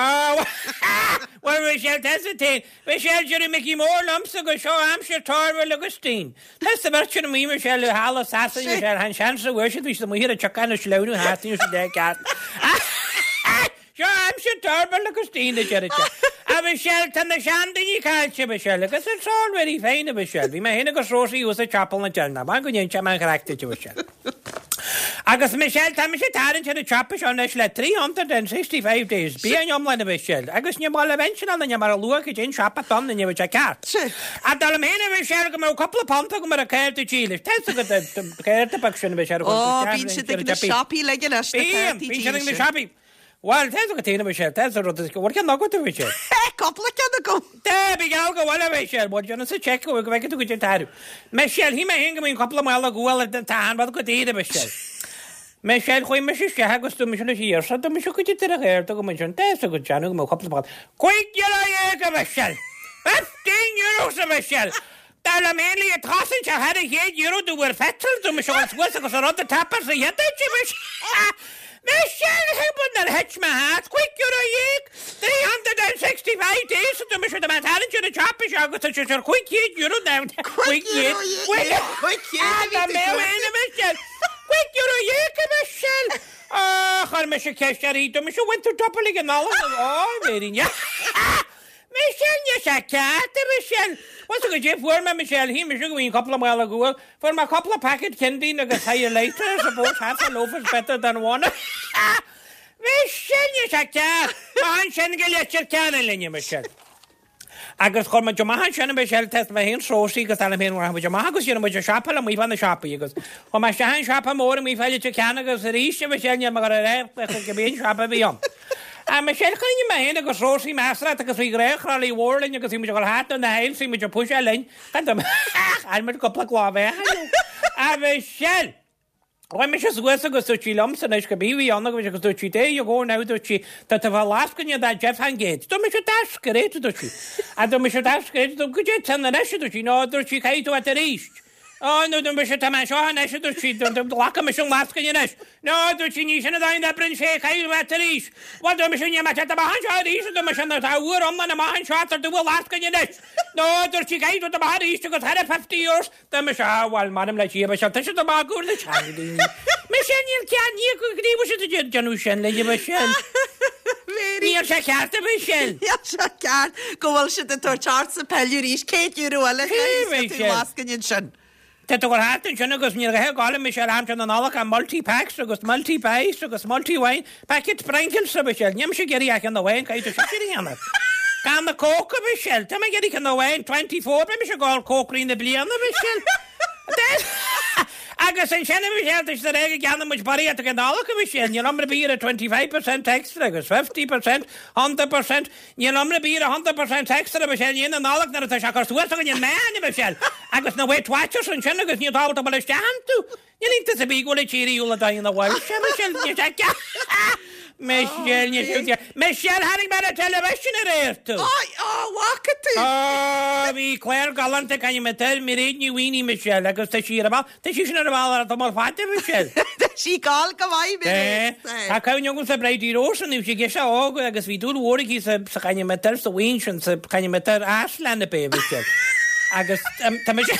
bhuel, Michelle, tá sa tain. Michelle, deir Mickey Mór liomsa go seo aimsir Torvill agus Dean. Tá sa bheirt sin amuigh, Michelle, i halla Sasana, Michelle, han seans a bhfuair siad, bhí siad amuigh ar an tsioca na sleamhnú thart, ní raibh siad ceart. Seo aimsir Torvill agus Dean, a deir sé. A Michelle, tá na seandaoine caillte, Michelle, agus it's all very fine, a Michelle. Bhí mé féin agus Rosie thuas ag chapall na deilgneach. Maith go ndéan sé mé an chraic duit, a Michelle. Agus Michelle, tá mise ag tarraingt ar an tsiopa seo anois le three hundred and sixty five days, bliain iomlán, a Michelle, agus ní maith le mention ann mar a luath go dtí an siopa donn ní bheadh sé ceart. Ach dar liom féin, a Michelle, go mbeadh cúpla punt agam ar an cárta dílis. Tá a fhios agat an cárta beag sin, a Michelle, a Ó, bíonn siad ag na siopaí uilig anois, na Bíonn, cártaí bíonn siad ag na dílse. siopaí. Bhuel, tá a fhios agat féin, a Michelle, tá a rud is go bhfuil ceann agat, a Michelle. Cúpla ceann agam. Tá, bí geall go bhfuil, a Michelle, bhuel, déanann sa check go bhfeicfidh tú go dtí an t-athrú. Michelle, shíl mé féin go mbíonn cúpla mála guail ar an t-achan rud go daor, a Michelle. Michelle, chuaigh mise isteach agus dúirt mise leis an iarsa, dúirt mise go dtí ar a ghair do go mbíonn sin, tá a fhios agat, déanamh go mbeadh cúpla mála. Cúig euro dhéag, a Michelle! Fifteen euros, a Michelle! Dar liom féin le tosaint ar thar a chéad euro do bhfuair petrol, dúirt mise dhul suas agus an rud a tapar sa chéad áit, a Michelle! Michelle, thuig nuair a thit mo hat, cúig euro dhéag, three hundred and sixty five days, dúirt mise do mé tarraingt ar an tsiopa seo agus tá sé ar cúig chéad euro now. Cúig euro dhéag, cúig chéad a bhí Dá tú mbeadh ag aon, a Michelle. Cúig euro dhéag, a Michelle. Á, chuir mise ceist uirthi, dúirt mise bhain tú double ag an Nollaig? Á, Mary, ní. Michelle, níl sé ceart, a Michelle. Bhuel, so goidé fuair mé, Michelle, shíl mise go mbíonn cúpla mála guail. Fuair mé cúpla packet Kindeen agus highlighter, I suppose half a loaf is better than one. Michelle, níl sé ceart. Má ansin go Leitir Ceanainn linne, Michelle. Agus chuir muid amach ansin a Mhichelle tá mé féin 's Rósaí agus Alan féin rachaidh muid amach agus dhéanfaidh muid an siopa amuigh fá na siopaí agus chuaigh mé isteach an siopa mór amuigh fá Leitir Ceanainn agus arís a Mhichelle níl mé ag dul a rá cibé an siopa a bhí ann. A Michelle choinnigh mé féin agus Rósaí measartha agus bhí gnáththralaí mhór linn agus bhí muid ag dul thart ar na haill bhí muid ag puiseáil linn gan dom Chaill muid cúpla clámhéachain. A Mhichelle! Chuaigh mise suas agus dúirt sí liomsa anois go bhí ann agus agus dúirt sí there you go now dúirt sí tá tú fá lascaine de deich faoin gcéad. Dúirt mise that's great dúirt sí. A dúirt mise that's great dúirt goidé sin anois dúirt sí no dúirt sí caithfidh tú at arís. Ó no dúirt mise tá mé anseo anois dúirt sí glacfaidh mise an lascaine anois. No dúirt sí ní sin an dóigh a n-oibríonn sé caithfidh tú at arís. Bhuel dúirt mise níl mé teacht amach anseo arís dúirt mise nó tá uair iomlán amach anseo tar tú a lascaine anois. No dúirt sí caithfidh tú amach arís agus thar a fifty euros Dá mbeadh sé, ah, bhuel, m'anam le Dia, beidh sé tuirseach amach go na teangaidh. Mise níl cead ní go gníomh siad a déanamh sin le Michelle. Níl sé ceart a Michelle. Níl sé ceart go bhfuil siad ag tabhairt ort sa peil arís céad euro eile tú lascaine ansin. Tá tú gur thart ansin agus níl a gáil Michelle aimsir na Nollag a multi-packs agus multi-pies agus multi-wine packet Pringles a Michelle. Níl mise ag iarraidh ach ceann amháin caithfidh tú sin a dhéanamh. Canna Coke a Michelle. Tá mé ag iarraidh ceann amháin twenty four beidh mise ag ól Coke i rith na bliana Michelle. Agus ansin a Michelle tá siad ag rá go gceannóidh muid barraíocht ag an Nollaig a Michelle. Níl am ar bith ar twenty five percent extra agus fifty percent, hundred percent. Níl am ar bith ar hundred percent extra a Michelle. Ní na Nollag nuair atá sé cur suas againn an meán a Michelle. Agus na Weight Watchers ansin agus níl tábhacht a bhfuil isteach iontu. Níl iontas ar bith go bhfuil an tír ar shiúl an dóigh ina bhfuil sé Michelle. Níl sé ceart. Michelle, níl sé ceart. Michelle, tháinig mé ar an television aréir tú. Á, á, bhfaca tú? Á, bhí clár galánta caint mé tar, Mairéad Ní Mhaonaigh, Michelle, agus tá sí ar an bhall, tá sí sin ar an bhall ar an tamall fada, Michelle. Tá sí ag gabháil go maith, Mairéad. Tá cuimhne agam sa Bridie Rose, bhí sí girseach óg agus bhí dúil mhór aici sa sa chaint mé tar, sa mhaoin sin, sa chaint mé tar, Aslan a b'é, Michelle. Agus tá mise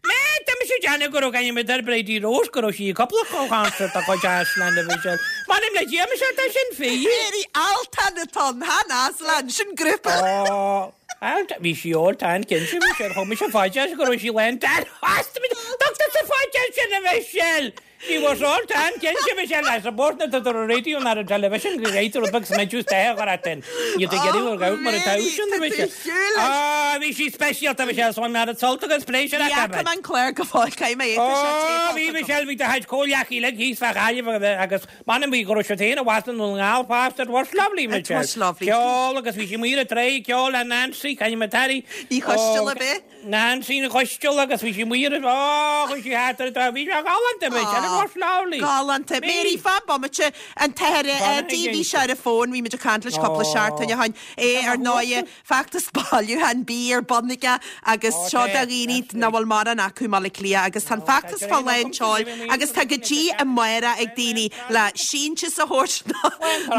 Mé, tá mise ag déanamh go raibh caint mé tar Bridie Rose, go raibh sí ag cúpla concert dá chuid Aslan a Michelle. M'anam le Dia, Michelle, tá sin fíor. Mary, Altan atá ann, chan Aslan, sin grúpa. Ó, Altan, bhí sí all tan cinnte, Michelle, thug mise fá dear go raibh sí lán tan. Tugtar sa fá dear sin a Michelle! She was all tan cinnte, Michelle, I suppose na tá ar an radio ná ar an television go gcaithfidh rud beag smideadh is a chur ort in. Níl tú ag iarraidh gur ghabh mar atá sin, a Michelle. Á, bhí sí speisialta, Michelle, so an sult agus pléisiúr Ní acu, fhaca mé an clár go fóill, caithfidh mé é, tá sé Ó, téapáilte bhí agam. Michelle, bhí do chuid comhghleacaí uilig thíos fá Ghaillimh agus m'anam bhí go raibh siad féin i bhfad na nGall fosta, it was lovely, It Michelle. was lovely. Ceol agus bhí sí amuigh ar an tráigh, ceol le Nancy, caint mé Terry. Ní Choisteala, b'é? Nancy Ní Choisteala agus bhí sí amuigh ar an, ó, chuaigh sí thart ar an trá, bhí sé galánta, Michelle, it was lovely. Galánta. Mary, fan bomaite, an t-athair, Fan D, bhí sé ar an bhfón, bhí muid ag caint leis cúpla seachtain ó shin, é ar ndóighe, feachtas bailiúcháin bídh ar bun aige agus seo do dhaoine nach bhfuil mórán acu i mBaile Átha Cliath agus tá an feachtas fá lán tseoil agus tá go dtí amárach ag daoine le síntiús a thabhairt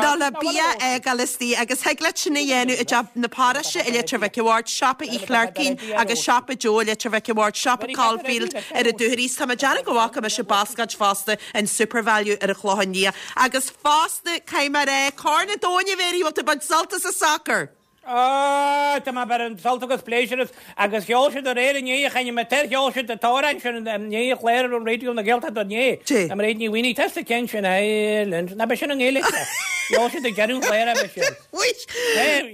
nó le bia a fhágáil istigh agus thig leat sin a dhéanamh i dTeach na Paróiste i Leitir Mhic a' Bhaird, Siopa Uí Chleircín agus Siopa Joe i Leitir Mhic a' Bhaird, Siopa Caulfield ar an Dúchoraidh. Tá mé ag déanamh go bhfaca mise bascáid fosta in Supervalu ar an Chlochán Liath agus fosta caithfidh mé a rá, Corn an Domhain a Mhary, bhfuil tú ag baint sult as an sacar? Ó, tá mé ag baint sult agus pléisiúr as agus sheol siad aréir inné a chaint mé tar, sheol siad an t-amhrán sin i ndiaidh an chláir ar an Raidió na Gaeltachta inné. Dé. A Mairéad Ní Mhaonaigh, tá sa ceann sin Ireland. Ná beidh sin i nGaeilge. Sheol siad ag deireadh an chláir é sin. Wait.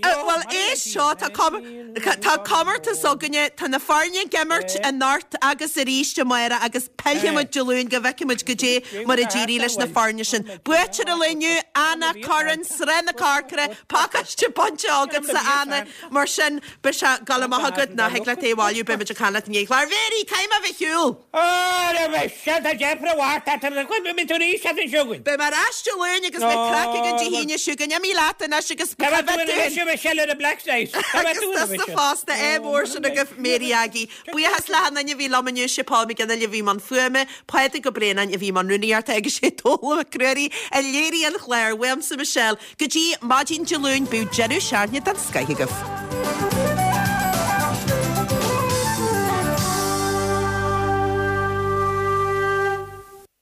Bhuel, éist seo, tá tá comórtas againne, tá na foirne ag imirt anocht agus arís amárach agus pillfidh muid Dé Luain go bhfeicfidh muid goidé mar a d'éirigh leis na foirne sin. Buaiteoir an lae inniu, Anna Curran, Srath na Corcra, pacáiste bainte agatsa Anna, mar sin beidh sé ag gabháil amach agat ná thig leat é a bhailiú, beidh muid ag caint leat i ndiaidh an chláir. Mary, caithfidh mé a bheith ar shiúl! Ó, beidh sé, tá deifre mhaith ort, beidh tú arís as an seo chugainn. Beidh mé ar ais Dé Luain agus beidh craic againn Dé hAoine seo chugainn. Imigh leat anois agus Cá bhfuil tú anois, a Mhichelle, ar an Black Dice? Cá bhfuil tú Agus anois? tusa fosta, ádh mór sin agaibh, Mary Aggie. Buíochas le hachan duine a bhí liom inniu, sé Paul Mac Fhionnghaile a bhí i mbun fuaime, Pádraig Ó Braonáin a bhí i mbun rúnaíochta agus sé Dónal Mac Ruairí a léirigh an clár. Uaimse Michelle, go dtí maidin Dé Luain, bíodh deireadh seachtaine den scoith agaibh.